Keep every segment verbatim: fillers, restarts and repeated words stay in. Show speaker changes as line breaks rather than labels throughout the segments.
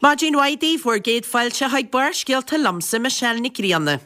Maidin mhaith daoibh, bhur gcéad fáilte chuig Barrscéalta liomsa, Michelle Nic Grianna.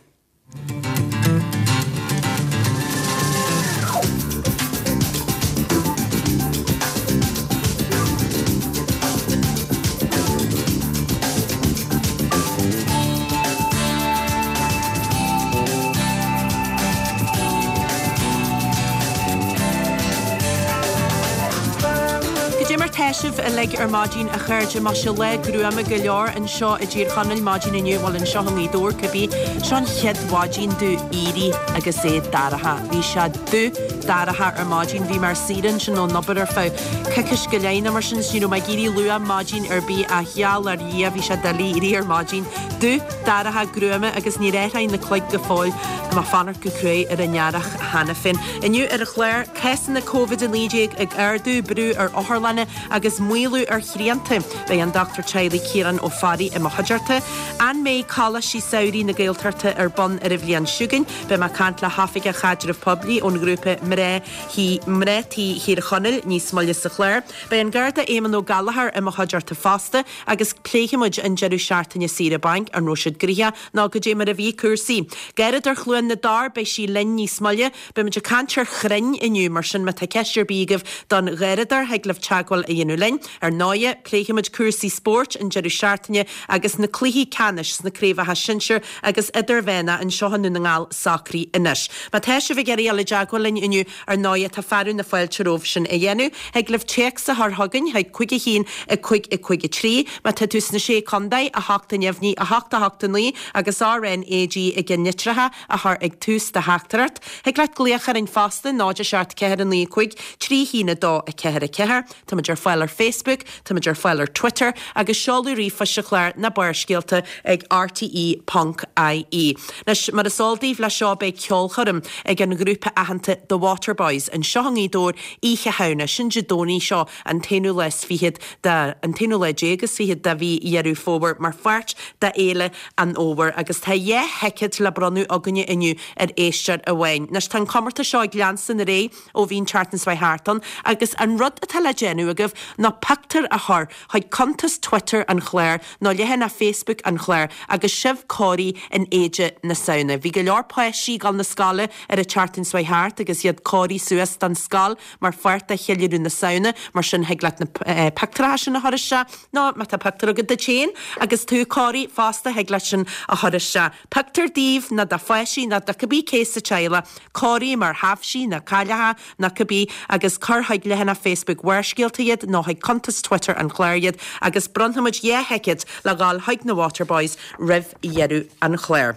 Goidé mar tá sibh uilig ar maidin a chairde, má sé lá gruama go leor anseo i dTír Chonaill maidin inniu, bhuel anseo i nGaoth Dobhair cibé, seo an chéad mhaidin domh éirí agus é dorcha. Bhí sé dubh dorcha ar maidin, bhí mé ar saoire ansin ón obair ar feadh coicís go leith nó mar sin is ní raibh mé ag éirí luath maidin ar bith ach gheall ar Dhia bhí sé doiligh éirí ar maidin. Dubh dorcha gruama agus níor athraigh na cloig go fóill. Tá mé ag fanacht go cruaidh ar an earrach cheana féin. Inniu ar an chlár, cásanna Covid a naoi déag ag ardú, brú ar otharlanna agus maolú ar shrianta. Beidh an Dochtúir Teaghlaigh Ciarán Ó Fearraigh i mo chuideachta. An mbeidh Coláistí Samhraidh na Gaeltachta ar bun ar an bhliain seo chugainn? Beidh mé ag caint le hOifigeach Chaidreamh Poiblí ón ghrúpa Mná Tí Mná Tí Thír Chonaill níos moille sa chlár. Beidh an Garda Éamonn Ó Gallchóir i mo chuideachta fosta agus pléifidh muid an deireadh seachtaine saoire bainc, an raibh siad gnoitheach nó goidé mar a bhí cúrsaí. Garradóir Chluain na dTor, beidh sí linn níos moille. Beidh muid ag caint ar chrainn inniu, mar sin má tá ceist ar bith agaibh don gharradóir, thig libh teagmháil a dhéanamh linn. Ar ndóighe, pléifidh muid cúrsaí spóirt an deireadh seachtaine agus na cluichí ceannais sna craobhacha sinsir agus idirmheánach anseo i nDún na nGall socraithe anois. Má tá sibh ag iarraidh dul i dteagmháil linn inniu, ar ndóighe, tá fearadh na fáilte romhaibh sin a dhéanamh. Thig libh téacs a chur chugainn chuig cúig a haon, a cúig, a cúig a trí. Má tá tú sna Sé Contae, a hocht a neamhní, a hocht a hocht a naoi agus RNAG i gceannlitreacha a chur ag tús do theachtaireacht. Thig leat glaoch orainn fosta, náid a seacht ceathair a naoi cúig trí haon a dó a ceathair a ceathair. Táimid ar fáil ar Facebook, táimid ar fáil ar Twitter agus seoladh ríomhphoist an chláir ná Barrscéalta ag rte ponc ie. Anois, mar is eol daoibh, leis seo beidh ceolchoirm ag an ghrúpa aitheanta The Waterboys anseo i nGaoth Dobhair Oíche Shamhna, sin Dé Domhnaigh seo an t-aonú lá is fichead de, an t-aonú lá déag is fichead de mhí Dheireadh Fómhair mar pháirt de Fhéile an Fhómhair agus tá dhá thicéad le bronnadh againne inniu ar éisteoir amháin. Anois tá an comórtas seo ag leanstan ar aghaidh ó bhí an tseachtain seo thart ann agus an rud atá le déanamh agaibh ná pictiúr a chur chuig cuntas Twitter an chláir nó leathanach Facebook an chláir agus sibh cóirithe in éide na Samhna. Bhí go leor páistí ag dul na scoile ar an tseachtain seo thart agus iad cóirithe suas don scoil mar pháirt de cheiliúradh na Samhna, mar sin thig leat na pictiúracha sin a chur isteach nó má tá pictiúr agat duit féin agus tú cóirithe fosta thig leat sin a chur isteach. Pictiúr daoibh nó do pháistí nó do cibé cé sa teaghlach cóirithe mar thaibhsí nó cailleacha nó cibé agus cuir chuig leathanach Facebook Bharrscéalta iad nó chuig cuntas Twitter an chláir iad agus bronnfaimid dhá thicéad le dhul chuig na Waterboys roimh dheireadh an chláir.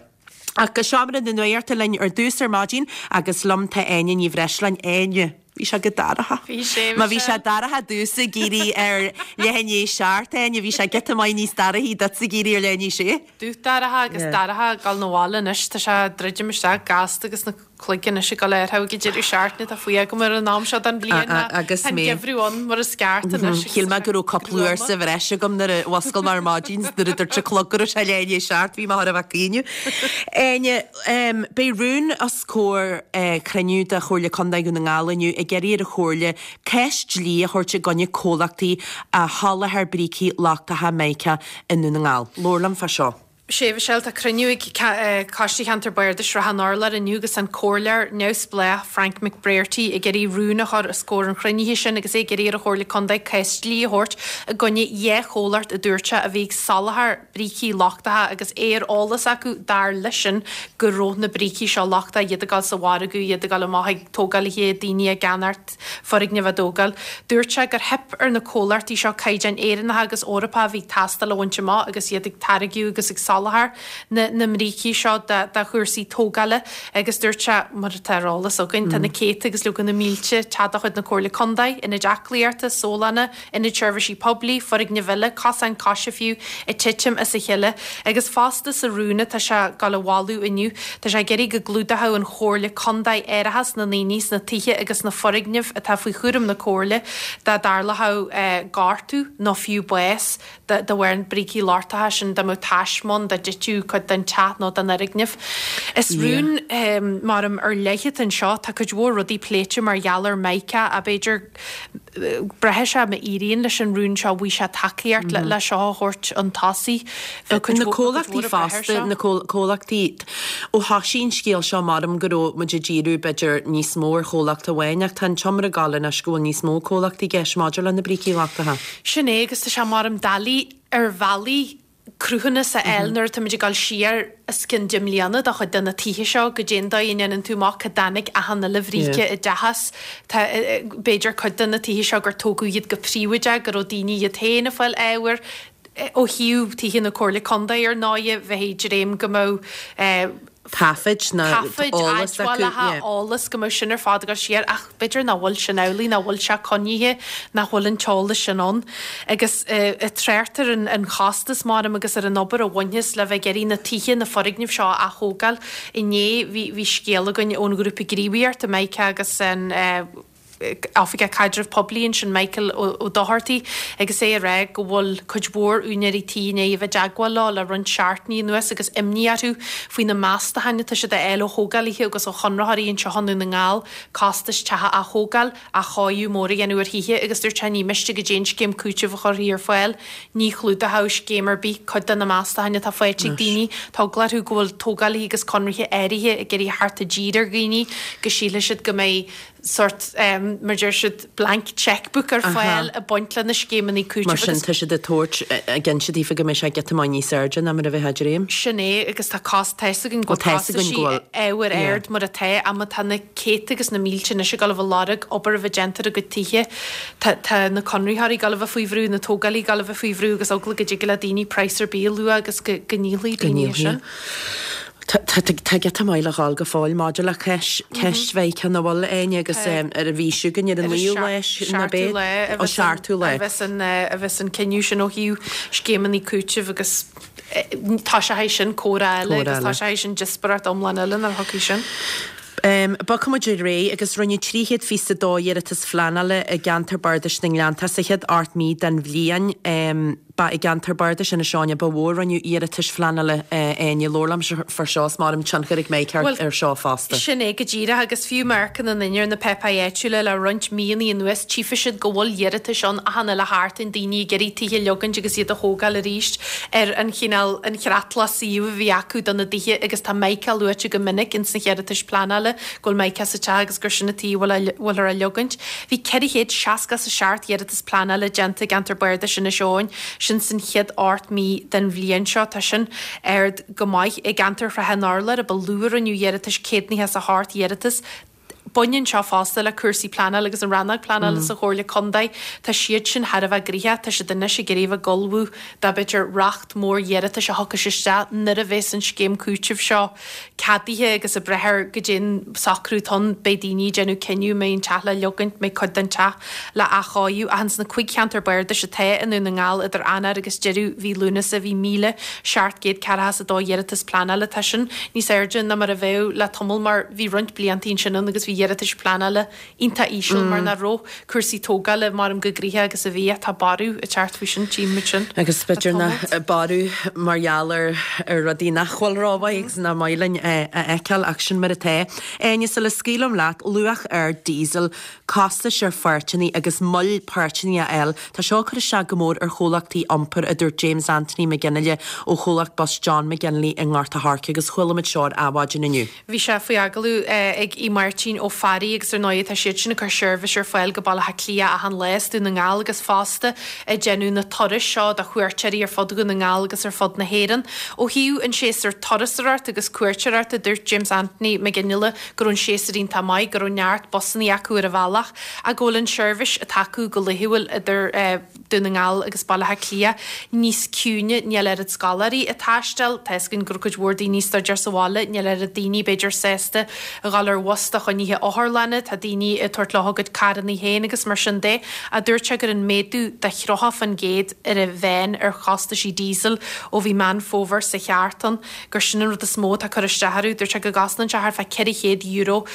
Ach go seomra na nuachta linn ar dtús ar maidin agus liom tá Áine Ní Bhreisleáin. Áine, bhí sé go dorcha.
Bhí sé,
Má bhí sé dorcha domhsa ag éirí ar leath i ndiaidh a seacht, Áine, bhí sé giota maith níos dorchaí duitse ag éirí ar leath i ndiaidh a sé.
Dubh dorcha agus dorcha ag dul 'na bhaile anois, tá sé ag druidim isteach gasta agus na cloig anois ag dul ar ag an deireadh seachtaine atá faoi agam ar an am seo den bhliain ná
Agus
tá an
mé.
geimhreadh ann mar is ceart anois agus
Shíl
tá
mé
sé
go raibh cúpla uair
gruama.
sa bhreis agam nuair a mhuscail mé ar maidin nuair a dúirt an clog go raibh sé leath i ndiaidh a seacht, bhí mé thar a bheith ag caoineadh. Áine, beidh rún os comhair cruinniú de Chomhairle Contae Dhún na nGall inniu ag iarraidh ar an Chomhairle cás dlí a thabhairt i gcoinne comhlachtaí a sholáthair brící lochtacha Mica i nDún na nGall. Labhair liom fá seo.
Sea, Michelle, tá cruinniú ag Coiste Cheantar Bardais Shrath an Urláir inniu agus an Comhairleoir neamhspleách Frank McBrearty ag iarraidh rún a chur os comhair an chruinnithe sin agus é ag iarraidh ar an Chomhairle Contae cás dlí a thabhairt i gcoinne dhá chomhlacht a dúirt sé a bhí ag soláthar brící lochtacha agus é ar eolas acu dar leisean go raibh na brící seo lochtach, iad ag dul sa mhargadh, iad ag dul amach ag tógálaithe, daoine ag ceannacht foirgnimh á dtógáil. Dúirt sé gur theip ar na comhlachtaí seo caighdeáin Éireannacha agus Eorpacha a bhí ag teastáil a bhaint amach agus iad ag táirgeadh agus ag soláthar na na mbrící seo do chúrsaí tógála agus dúirt sé, mar atá ar eolas againn, tá na céadta agus leoga na mílte teach de chuid na Comhairle Contae, ionaid aclaíochta, sólanna, ionaid seirbhísí poiblí, foirgnimh eile, cosáin coise fiú, ag titim as a chéile. Agus fosta sa rún atá sé ag dul a mholadh inniu, tá sé ag iarraidh go gclúdódh an Chomhairle Contae árachas na ndaoine sna tithe agus sna foirgnimh atá faoi chúram na Comhairle dá dtarlódh gortú nó fiú bás de bharr na mbrící lochtacha sin, dá mbeadh taisme ann dá dtitfeadh cuid den teach nó den fhoirgneamh. Is rún maram ar leith atá anseo, tá cuid mhór rudaí pléite mar gheall ar Mica, b'fhéidir Braithfidh sé má éiríonn leis an rún seo bhfaighidh sé tacaíocht le seo a thabhairt chun tosaigh. Bheadh cuid
Na
mhór, cuid
comhlachtaí
mhór ag brath air
fosta,
seo.
na comhlachtaí, ó thosaigh an scéal seo maram go raibh muid ag díriú b'fhéidir níos mó ar chomhlacht amháin ach tá an t-iomrá ag gabháil anois go bhfuil níos mó comhlachtaí i gceist maidir le na brící lochtacha.
Sin é agus tá sé maram doiligh ar bhealaí cruthúnas a fháil nuair atá muid ag dul siar os cionn deich mbliana do chuid de na tithe seo goidé an dóigh a ndéanann tú amach cá dtáinig achan uile bhríce i dteach as. Tá b'fhéidir cuid de na tithe seo gur tógadh iad go príobháideach, go raibh daoine iad féin ag fáil ábhair ó thaobh tithe na Comhairle Contae ar ndóighe, bheifí ag dréim go mbeadh
taifid ná
taifid,
eolas acu,
admhálacha,
yeah.
eolas go mbeadh sin ar fad ag dul siar ach b'fhéidir nach bhfuil sin amhlaidh, nach bhfuil sé coinnithe, nach bhfuil an t-eolas sin ann. Agus ag trácht ar an an chostas maram agus ar an obair a bhainfeas le bheith ag iarraidh na tithe, na foirgnimh seo a aththógáil. Inné bhí bhí scéal againn ón ghrúpa gníomhaíochta, Micah agus an eh, Oifigeach Caidrimh Poiblí ansin Michael Ó Dochartaigh agus é ag rá go bhfuil cuid mhór úinéirí tí i ndiaidh a bheith i dteagmháil leo le roinnt seachtainí anuas agus imní orthu faoi na meastacháin atá siad a fháil ó thógálaithe agus ó chonraitheoirí anseo i nDún na nGall costais teach a aththógáil, athchóiriú mór a dhéanamh ar thithe agus dúirt sé ní miste goidé an scéim cúitimh a chuirfí ar fáil. Ní chlúdódh scéim ar bith cuid de na meastacháin atá faighte ag daoine. Tá eagla orthu go bhfuil tógálaithe agus conraithe áirithe ag iarraidh theacht i dtír ar dhaoine go sílfidh siad go mbeidh sórt, mar deir siad, blank cheque-book ar fáil ag baint le na scéimeanna cúitimh
Mar sin,
agus.
tá siad ag tabhairt, ag inse daofa go mbeidh sé giota maith níos airde ná mar a bheifeá ag dréim.
Sin é, agus tá cos, tá fhios againn go
Bhuel, tá fhios
bhfuil
againn go bhfuil,
costaisí ábhair
yeah.
ard mar atá, ach má tá na céadta agus na mílte anois ag dul a bheith ag lorg obair a bheith déanta ar a gcuid tithe, tá, tá na conraitheoirí ag dul a bheith faoi bhrú, na tógálaithe ag dul a bheith faoi bhrú agus eagla go dtig le daoine praghas ar bith a lua agus go, go ndíolfaidh
Go
daoine é
ndíolfaidh.
sin.
Tá tá giota maith le dhul go fóill maidir le ceist ceist Mheiriceá na bhfuil Áine agus ar an mhí seo chugainn ar an naoú lá ná
Seachtú lá a
Ó
bheas an
seachtú lá.
a bheas an a bheas an cinneadh sin ó thaobh scéimeanna cúitimh agus tá sé théis sin comhrá eile
Comhrá
agus tá
eile.
sé théis sin díospóireacht iomlán eile nuair a thiocfaidh sin.
Um, Bogfaidh muid ar aghaidh agus rinneadh trí chéad fiche a dó iarratas phleanála i gceantar Bardais na nGleannta sa chéad ocht mí den bhliain. Um, ba i gceantar Bardais Inis Eoghain a ba mhó a rinneadh iarratais phleanála uh, Áine labhair liom faoi seo is maram tionchar ag Meiriceá
Well,
ar seo fosta.
Sin é go díreach agus fiú má amharcann an duine ar na páipéir áitiúla le roinnt míonna anuas tchífidh siad go bhfuil iarratais ann achan uile sheachtain daoine ag iarraidh tithe a leogaint agus iad a thógáil arís ar an chineál an chreatlach suíomh a bhí acu do na dtithe agus tá Michael luaite go minic ins na hiarratais pleanála go bhfuil Michael sa teach agus gur sin an taobh a bhfuiltear á leogaint. Bhí ceithre chéad seasca is a seacht iarratas pleanála déanta i gceantar Bardais Inis Eoghain sin san chéad ocht mí den bhliain seo tá sin ard go maith i gceantar Shrath an Urláir a ba lú a rinneadh iarratais céad nócha is a hocht iarratas. Baineann seo fosta le cúrsaí pleanála agus an rannóg pleanála sa Chomhairle Contae. Tá siad sin thar a bheith gnoitheach, tá siad anois ag iarraidh a bheith ag ullmhú do b'fhéidir racht mór iarratais a thiocfas isteach nuair a bheas an scéim cúitimh seo ceadaithe agus ag brath ar goidé an socrú atá ann beidh daoine ag déanamh cinneadh mbeidh an teach le leogaint, mbeidh cuid den teach le athchóiriú. Ach ins na cúig cheantar bardais atá i nDún na nGall idir Eanáir agus deireadh mhí Lúnasa bhí míle seacht gcéad ceathracha is a dó iarratas pleanála. Tá sin níos airde ná mar a bheadh le tamall mar bhí roinnt blianta ansin ann agus bhí iarratais pleanála iontach íseal mar nach raibh cúrsaí tógála maram chomh gnoitheach agus a bhí tá borradh ag teacht faoi sin tchímid sin.
Agus
le
b'fhéidir na
tamalt.
borradh mar gheall ar ar rudaí nach bhfuil rómhaith agus nach maith linn a fheiceáil ach sin mar atá. Áine sula scaoilim leat luach ar diesel, costais ar pháirteanna agus moill páirteanna a fháil. Tá seo ag cur isteach go mór ar chomhlachtaí iompair a dúirt James Anthony McGinley ó chomhlacht bus John McGinley i nGort a' Choirce agus chuala muid seo ar Adhmhaidin inniu.
Bhí sé faoi agallamh ag Aodh Máirtín Ó Fearraigh agus ar ndóigh tá siad sin ag cur seirbhís ar fáil go Baile Átha Cliath achan lá as Dún na nGall agus fosta ag déanamh na turais seo do chuairteoirí ar fud Dhún na nGall agus ar fud na hÉireann. Ó thaobh an séasúr turasóireachta agus cuairteoireachta dúirt James Anthony McGinley go raibh an séasúr iontach maith, go raibh neart busanna acu ar an bhealach ach go bhfuil an seirbhís atá acu go laethúil idir Dún na nGall agus Baile Átha Cliath níos ciúine, níl oiread scoláirí ag taisteal, tá fhios againn go raibh cuid mhór daoine ag staidéar sa bhaile, níl oiread daoine b'fhéidir sásta a dhul ar bhus do choinnithe otharlanna, tá daoine ag tabhairt leo a gcuid carranna féin agus mar sin de. Ach dúirt sé gur an méadú de thríocha faoin gcéad ar an mheán ar chostaisí diesel ó bhí Meán Fómhair sa cheart ann, gur sin an rud is mó atá ag cur isteach orthu. Dúirt sé go gcosnaíonn sé thart fá ceithre chéad euro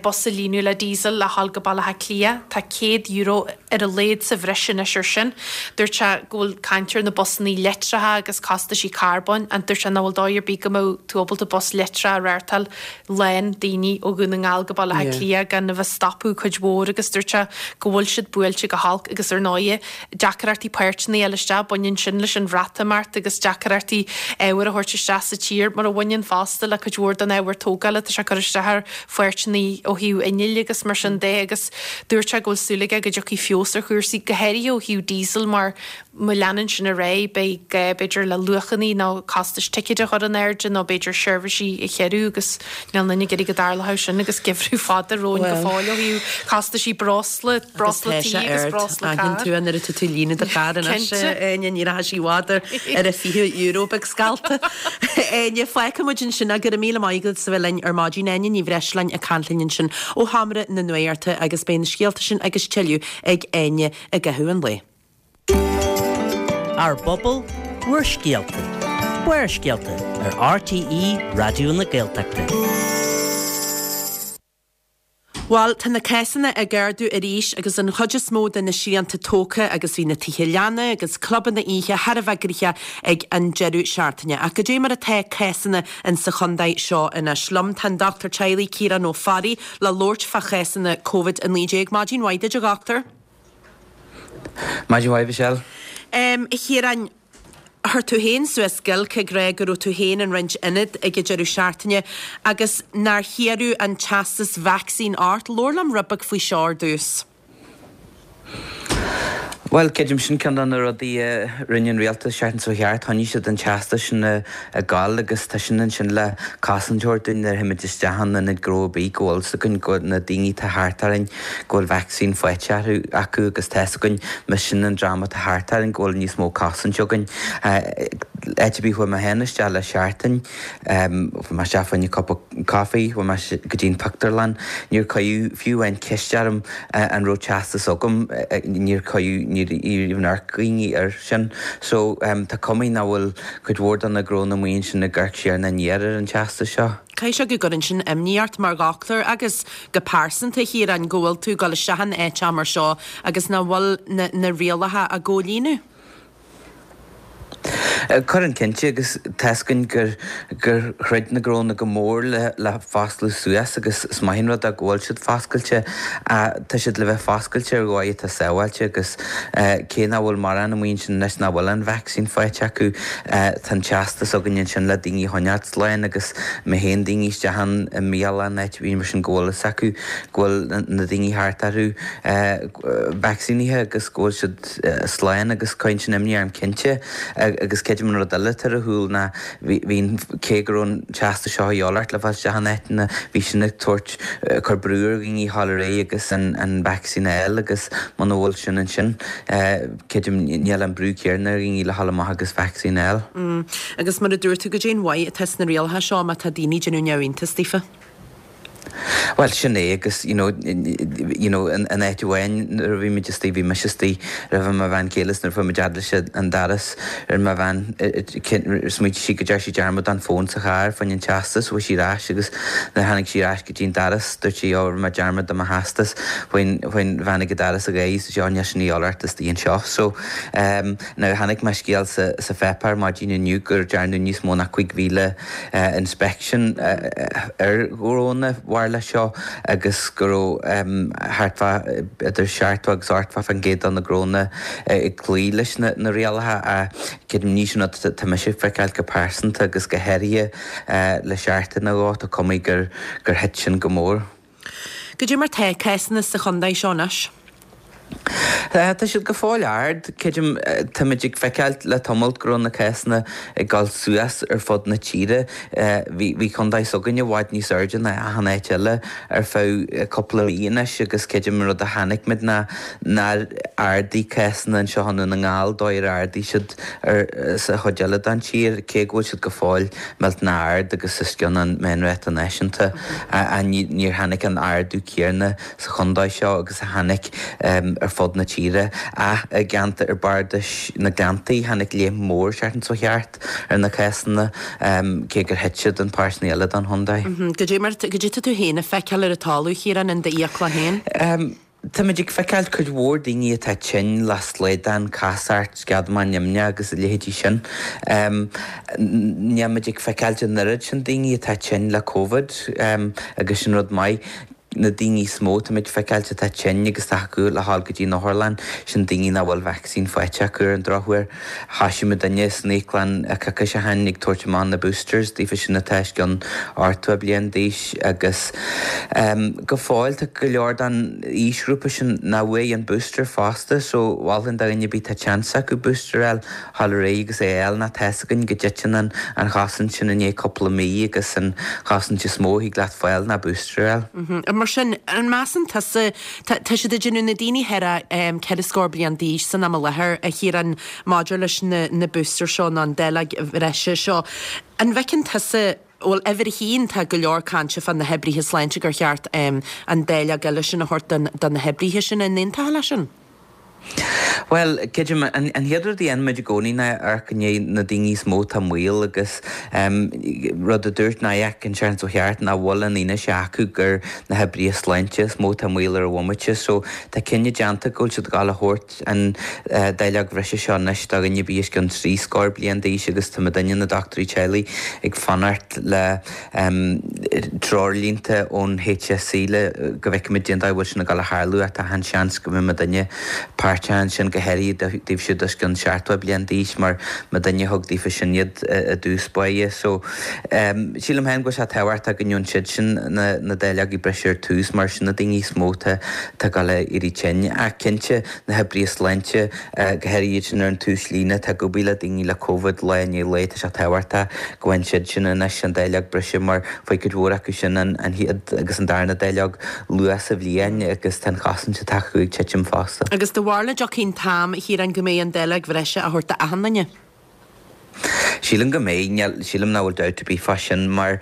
bus a líonadh le diesel le dhul go Baile Átha Cliath. Tá céad euro ar a laghad sa bhreis anois ar sin. Dúirt sé go bhfuil caint ar na busanna leictreacha agus costaisí carbóin and dúirt sé nach bhfuil dóigh ar bith go mbeadh tú ábalta bus leictreach a reáchtáil lán daoine ó Dhún na nGall go Baile Átha Átha Cliath gan a bheith stopadh cuid mhór agus dúirt sé go bhfuil siad buailte go holc agus ar ndóigh deacrachtaí páirteanna a fháil isteach, baineann sin leis an Bhreatimeacht agus deacrachtaí ábhar a thabhairt isteach sa tír mar a bhaineann fosta le cuid mhór den ábhar tógála atá sé ag cur isteach ar pháirteanna ó thaobh innill agus mar sin de agus dúirt sé go bhfuil súil aige go dtiocfaidh feabhas ar chúrsaí go háirithe ó thaobh diesel mar má leanann sin ar aghaidh beidh gá b'fhéidir le luachanna nó costais ticéid a chur in airde nó b'fhéidir seirbhísí a chiorrú agus níl aon duine ag iarraidh go dtarlódh sin agus geimhreadh fada romhainn go fóill ó thaobh costaisí breosla, breosla tí agus breosla
cairr. Aithníonn tú nuair atá tú ag líonadh do charr anois, Áine, ní rachaidh sí i bhfad ar ar a fiche euro beag scallta. Áine, fágfaidh muid ansin é, go raibh míle maith agat as a bheith linn ar maidin. Áine Ní Bhreisleáin ag caint linn ansin ó Sheomra na Nuachta agus beidh na scéalta sin agus tuilleadh ag Áine i gcaitheamh an lae.
Ár bpobal, bhur scéalta. Barrscéalta ar RTÉ Raidió na Gaeltachta.
Bhuel, tá na cásanna ag ardú arís agus an chuid is mó de na srianta tógtha agus bhí na tithe leanna agus clubanna oíche thar a bheith gnoitheach ag an deireadh seachtaine. Ach goidé mar atá cásanna in sa chontae seo anois? Liom tá an Dochtúir Teaghlaigh Ciarán Ó Fearraigh le labhairt fá chásanna Covid a naoi déag. Maidin mhaith duit a dhochtúir.
Maidin mhaith, Michelle.
A Chiaráin, chuir tú féin suas giolc ag rá go raibh tú féin in roinnt ionad ag an deireadh seachtaine agus nár hiarradh an teastas vacsaín ort. Labhair liom rud beag faoi seo ar dtús.
Bhuel, creidim sin ceann de na rudaí a rinne an rialtas seachtain seo thart, choinnigh siad an teastas sin ag gabháil agus tá sin ansin le cosaint a thabhairt dúinn nuair a théimid isteach in ionad gnó ar bith go bhfuil 's againn go na daoine atá thart orainn go bhfuil vacsaín faighte orthu acu agus tá 's againn más sin an dream atá thart orainn go bhfuil níos mó cosaint againn. Áit ar bith chuaigh mé féin isteach le seachtain, chuaigh mé isteach fá choinne cupa coffee, chuaigh mé go dtí an pictiúrlann, níor cuireadh fiú amháin ceist orm an raibh teastas agam, níor cuireadh, níor even amharc daoine air sin. So tá cuma nach bhfuil cuid mhór de na gnónna amuigh ansin ag amharc siar ná aniar ar an teastas seo.
Caithfidh sé go gcuireann sin imní ort mar dhochtúir agus go pearsanta, a Chiaráin, go bhfuil tú ag dul isteach in áit mar seo agus nach bhfuil na rialacha á gcomhlíonadh.
Cuireann cinnte agus tá 's againn gur gur throid na gnónna go mór le le foscladh suas agus is maith an rud é go bhfuil siad foscailte. Tá siad le bheith foscailte ar dhóigh atá sábháilte agus cé nach bhfuil mórán amuigh ansin anois nach bhfuil an vacsaín faighte acu tá an teastas againn ansin le daoine a choinneáilt slán agus má théann daoine isteach i mbialann áit ar bith mar sin go bhfuil fhios acu go bhfuil na daoine thart orthu vacsaínithe agus go bhfuil siad slán agus cuireann sin imní orm cinnte. Agus creidim an rud eile atá ar siúl ná bhí an, cé go raibh an teastas seo a dhíobháil ort le fáil isteach in áiteanna, bhí sin ag tabhairt, cur brú ar dhaoine a dhul ar aghaidh agus an an vacsaín a fháil agus muna bhfuil sin ansin, creidim níl an brú céanna ar dhaoine le dhul amach agus vacsaín a fháil.
Agus mar a dúirt tú, goidé an mhaith atá sna rialacha seo má tá daoine ag déanamh neamhiontas daofa?
Bhuel, sin é agus you know, you know, in áit amháin nuair a bhí muid istigh, bhí mise istigh roimh mo bhean chéile is nuair a fuair muid fhad leis an doras ar mo bhean, smaointigh sí go ndearna sí dearmad an fón sa charr fá choinne an teastas, chuaigh sí ar ais agus nuair a tháinig sí ar ais go dtí an doras dúirt sí oh rinne mé dearmad de mo theastas, chuaigh an bhean ag an doras ar aghaidh is dúirt sí oh níl sin a dhíobháil ort istigh anseo. So, um, now chonaic mé scéal sa, sa pháipéar maidin inniu gur dearnadh níos mó ná cúig mhíle inspection ar ghnónna mhar leis seo agus go raibh thart fá idir seachtó agus ochtó faoin gcéad de na gnónna ag cloí leis na rialacha ach creidim ní sin rud atá mise ag feiceáil go pearsanta agus go háirithe le seachtain nó dhó tá cuma gur thit sin go mór.
Goidé mar tá cásanna sa chontae seo anois?
Tá siad go fóill ard. Creidim, táimid ag feiceáil le tamall go raibh na cásanna ag dul suas ar fud na tíre. Bhí bhí contae s'againne i bhfad níos airde ná achan áit eile ar feadh cúpla mí anois agus creidim an rud a chonaic muid ná nár ardaigh cásanna anseo i nDún na nGall dóigh ar ardaigh siad ar sa chuid eile den tír, cé go bhfuil siad go fóill millteanach ard agus os cionn an meánráta náisiúnta. Níor tháinig an ardú céanna sa chontae seo agus a tháinig ar fud na tíre. Ach i gceantar ar Bhardais na Gleanntaí tháinig léim mhór seachtain seo thart ar na cásanna, cé gur thit siad in páirteanna eile den chontae.
Goidé mar, goidé tá tú féin ag feiceáil ar an talamh, a Chiaráin, in d'fhiacla féin?
Táimid ag feiceáil cuid mhór daoine atá tinn le slaghdán, casacht, sceadamán nimhneach agus a leithéidí sin. Níl muid ag feiceáil an oiread sin daoine atá tinn le Covid agus sin rud maith. na daoine is mó táimid feiceáilt atá tinn agus tá acu le dhul go dtí an otharlann, sin daoine nach bhfuil vacsaín faighte acu ar an drochuair. Thosaigh muidinne san íoclann coicís ó shin ag tabhairt amach na boosters daofa sin atá os cionn ochtó bliain d'aois agus go fóill tá go leor den aoisghrúpa sin nach bhfuair an booster fosta so mholfainn do dhuine ar bith tá seans acu booster a fháil dhul ar aghaidh agus é a fháil nó tá's againn go dtiteann an an chosaint sin i ndiaidh cúpla mí agus an chosaint is mó a thig leat fáil ná booster a fháil.
Mar sin, an measann tusa, tá siad ag déanamh na daoine thar ceithre scór bliain d'aois san am i láthair, a Chiaráin, maidir leis na na boosters seo nó an dáileog bhreise seo, an bhfeiceann tusa, bhuel, uimhir a haon, tá go leor cainte fá na hoibrithe sláinte gur cheart an dáileog eile sin a thabhairt do na hoibrithe sin, an aontófá leis sin?
Bhuel, creidim, an chéad rud a dhéanann muid i gcónaí ná amharc i ndiaidh na daoine is mó atá i mbaol agus rud a dúirt N I A C an tseachtain seo thart nach bhfuil an fhianaise acu gur na hoibrithe sláinte is mó atá i mbaol ar an bhomaite. So tá cinneadh déanta go bhfuil siad ag dul a thabhairt an dáileog bhreise seo anois do dhuine ar bith os cionn trí scór bliain d'aois agus tá muidinne, na dochtúirí teaghlaigh, ag fanacht le treoirlínte ón H S E le go bhfeicfimid cén dóigh a bhfuil sin ag dul a tharlú ach tá an seans go mbeidh muidinne páirteach ansin go háirithe daoibh siúd os cionn seachtó bliain d'aois mar muidinne a thug daofa sin iad i dtús báire. So sílim féin go bhfuil sé tábhachtach go ndearna siad sin na na dáileogaí breise ar tús mar sin na daoine is mó atá ag dul a éirí tinn. Ach cinnte na hoibrithe sláinte go háirithe iad sin ar an tús líne atá ag obair le daoine le Covid lá i ndiaidh lae tá sé tábhachtach go bhfaigheann siad sin anois an dáileog breise mar fuair cuid mhór acu sin an chéad agus an darna dáileog luath sa bhliain agus tá an chosaint atá acu ag titim fosta.
Agus do bharúil an dtiocfaidh an t-am, a Chiaráin, go mbeidh an dáileog bhreise á thabhairt d'achan duine?
Sílim go mbeidh, sílim nach bhfuil dabht ar bith fá sin mar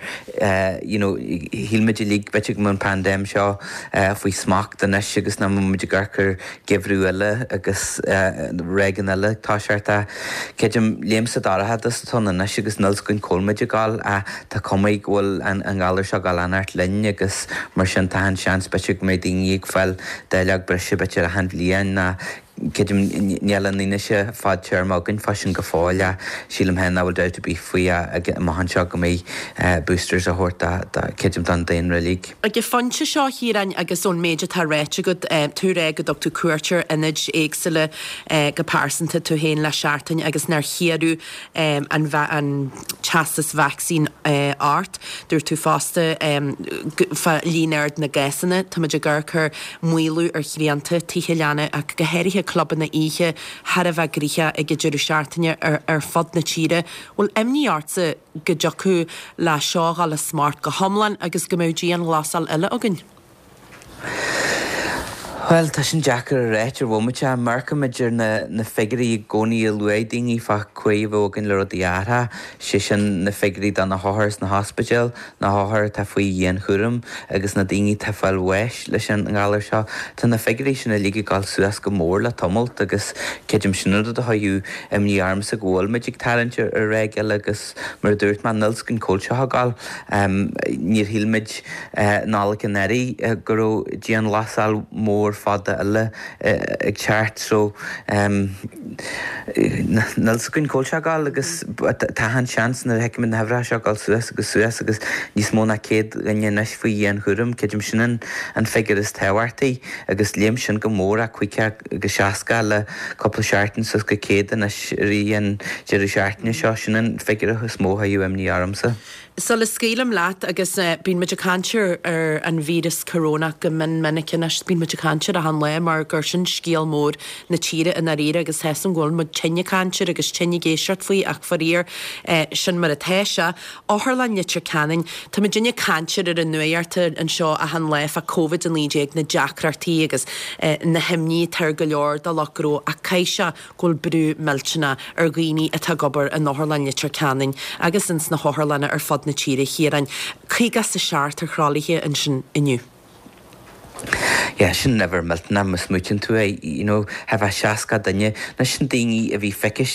you know shíl muid uilig b'fhéidir go mbeadh an paindéim seo faoi smacht anois agus nach mbeadh muid ag amharc ar gheimhreadh eile agus ráigeanna eile ag toiseacht ach creidim léim sa dorchadas atá ann anois agus níl 's againn cá bhfuil muid ag dul ach tá cuma go bhfuil an an galar seo ag dul a fhanacht linn agus mar sin tá an seans b'fhéidir go mbeidh daoine ag fáil dáileog breise b'fhéidir achan bhliain ná creidim níl an fhianaise fadtéarma againn fá sin go fóill ach sílim féin nach bhfuil dabht ar bith faoi amach anseo go mbeidh boosters á thabhairt creidim don daonra uilig.
Ag an phointe seo, a Chiaráin, agus ón méid atá ráite agat, tú ag rá go dtug tú cuairt ar ionaid éagsúla go pearsanta tú féin le seachtain agus nár hiarradh an an teastas vacsaín ort. Dúirt tú fosta fá líon ard na gcásanna, táimid ag amharc ar maolú ar shrianta, tithe leanna ach go háirithe clubanna oíche thar a bheith gnoitheach ag an deireadh seachtaine ar ar fud na tíre. Bhfuil imní ortsa go dtiocfadh le seo a dhul as smacht go hiomlán agus go mbeadh dianghlasáil eile againn?
Bhuel, tá sin deacair a ráit ar bhomaite. Amharcaimid ar na na figiúirí i gcónaí a luaigh daoine fá chaoi a bheadh againn le rudaí a athrú, sé sin na figiúirí do na hothair sna hospidéil, na hothair atá faoi dhianchúram agus na daoine atá ag fáil bháis leis an ngalar seo. Tá na figiúirí sin uilig ag dul suas go mór le tamalt agus creidim sin an rud a chuirfeadh imní ormsa go bhfuil muid ag tarraingt ar ráig eile agus mar a dúirt mé níl 's againn cá bhfuil seo ag dul. Níor shíl muid Nollaig anuraidh go raibh dianghlasáil mhór fada eile ag teacht so níl 's againn cá bhfuil sé ag dul agus tá an seans nuair a fheicimid na huimhreacha seo ag dul suas agus suas agus níos mó ná céad duine anois faoi dhianchúram, creidim sin an an figiúr is tábhachtaí agus léim sin go mór ó caoga agus seasca le cúpla seachtain suas go céad anois i rith an deireadh seachtaine seo, sin an figiúr is mó a chuirfeadh imní ormsa.
Sula scaoilim leat, agus bíonn muid ag caint ar an víreas corónach go mion minic anois, bíonn muid ag caint air achan lá mar gur sin scéal mór na tíre i ndáiríre agus tá 'fhios a'm go bhfuil muid tinn ag caint air agus tinn ag éisteacht faoi ach faraor sin mar atá sé. Otharlann Leitir Ceanainn, tá muidinne ag caint air ar an nuacht anseo achan lá fá Covid a naoi déag, na deacrachtaí agus na himní atá ar go leor de lucht gnó ach caithfidh sé go bhfuil brú millteanach ar dhaoine atá ag obair in Otharlann Leitir Ceanainn agus ins na hotharlanna ar fud na tíre, a Chiaráin. Caoga is a seacht ar thralaithe ansin inniu.
Yeah, sin uimhir millteanach má smaoitíonn tú é, you know, thar a bheith seasca duine. Nó sin daoine a bhí feicthe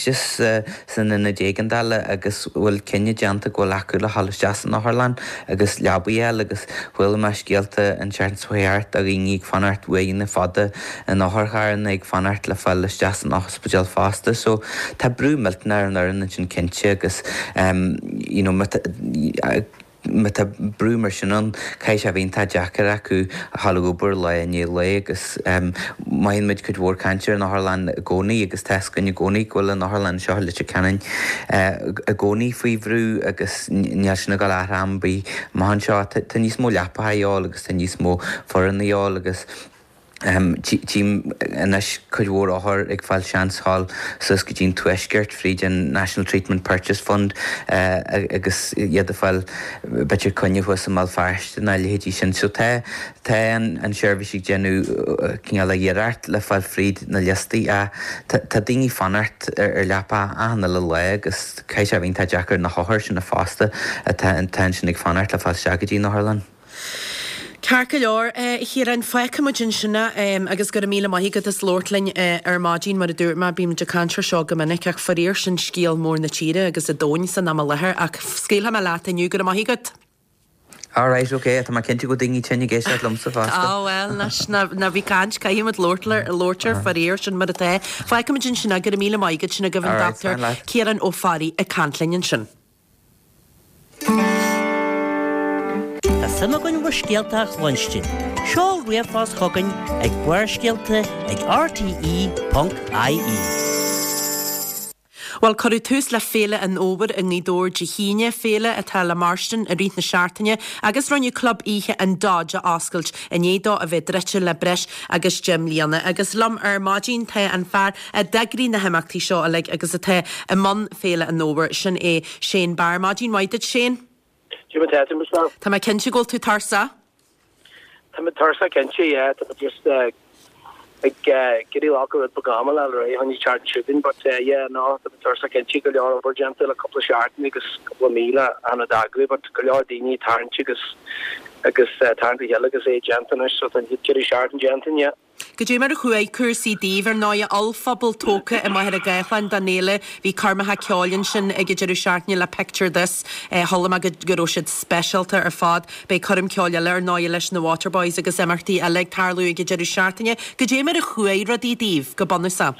san ionad éigeandála agus bhfuil cinneadh déanta go bhfuil acu le dhul isteach san otharlann agus leabaí a fháil agus chuala mé scéalta an tseachtain seo thart de dhaoine ag fanacht uaireanta fada in otharcharranna ag fanacht le fáil isteach san ospidéal fosta. So tá brú millteanach ar an fhoireann ansin cinnte agus you know, má tá brú mar sin ann, caithfidh sé a bheith iontach deacair acu a dhul ag obair lá i ndiaidh lae agus maíonn muid cuid mhór cainte ar an otharlann i gcónaí agus tá fhios againn i gcónaí go bhfuil an otharlann seo i Leitir Ceanainn i gcónaí faoi bhrú agus níl sin ag dul a athrú am ar bith amach anseo. Tá níos mó leapacha a dhíobháil agus tá níos mó foireann a dhíobháil agus Tchím anois cuid mhór othar ag fáil seans dhul suas go dtí an Tuaisceart fríd an National Treatment Purchase Fund agus iad ag fáil b'fhéidir coinne thuas i mBéal Feirste nó a leithéidí sin. So tá tá an seirbhís ag déanamh cineál iarracht le fáil fríd na liostaí ach tá daoine ag fanacht ar leapa achan uile lá agus caithfidh sé a bheith iontach deacair na hothair sin fosta atá ansin ag fanacht le fáil isteach go dtí an otharlann.
Ceart go leor, a Chiaráin, fágfaidh muid ansin é agus go raibh míle maith agat as labhairt linn ar maidin. Mar a dúirt mé, bímid ag caint ar seo go minic ach faraor sin scéal mór na tíre agus an domhain san am i láthair ach scaoilfidh mé leat inniu. Go raibh maith agat.
Alright, ok, tá mé cinnte go bhfuil daoine tinn ag éisteacht liomsa fosta.
Á bhuel, anois, ná bí ag caint, caithfidh muid labhairt labhairt air faraor, sin mar atá. Fágfaidh muid ansin é, go raibh míle maith agat, sin agaibh an Dochtúir Ciarán Ó Fearraigh ag caint linn ansin.
Tá suim againn bhur scéalta a chluinstin. Seol ríomhphost chugainn ag Barrscéalta ag R T E ponc I E.
Bhuel, cuireadh tús le Féile an Fhómhair i nGaoth Dobhair Dé hAoine, féile atá le mairstin i rith na seachtaine agus rinneadh club oíche an Dodge a oscailt i ndiaidh dó a bheith druidte le breis agus deich mbliana. Agus liom ar maidin tá an fear a d'eagraigh na himeachtaí seo uilig agus atá i mbun Féile an Fhómhair, sin é Shane Barr. Maidin mhaith duit, Shane.
Cad é mar atá tú, Michelle?
Tá mé cinnte go bhfuil tú tuirseach.
Tá mé tuirseach cinnte, yeah. Tá mé just uh, ag uh, getting lock rud beag ama le ré honey chart shooting, but uh, yeah, no, tá mé tuirseach cinnte go leor obair déanta le cúpla seachtain agus cúpla mí an d'eagrú, but go leor daoine tarraingt agus agus uh, tarraingt le chéile agus é déanta anois, so tá deireadh seachtaine déanta, yeah.
Goidé mar a chuaigh cúrsaí daoibh ar ndóigh ollphuball tógtha i Machaire Gathlán don fhéile bhí coirmeacha ceoil ansin ag an deireadh seachtaine le Picture This chuala mé go go raibh siad speisialta ar fad. Beidh coirm ceoil eile ar ndóigh leis na Waterboys agus imeachtaí eile ag tarlú ag an deireadh seachtaine. Goidé mar a chuaigh rudaí daoibh go bunúsach.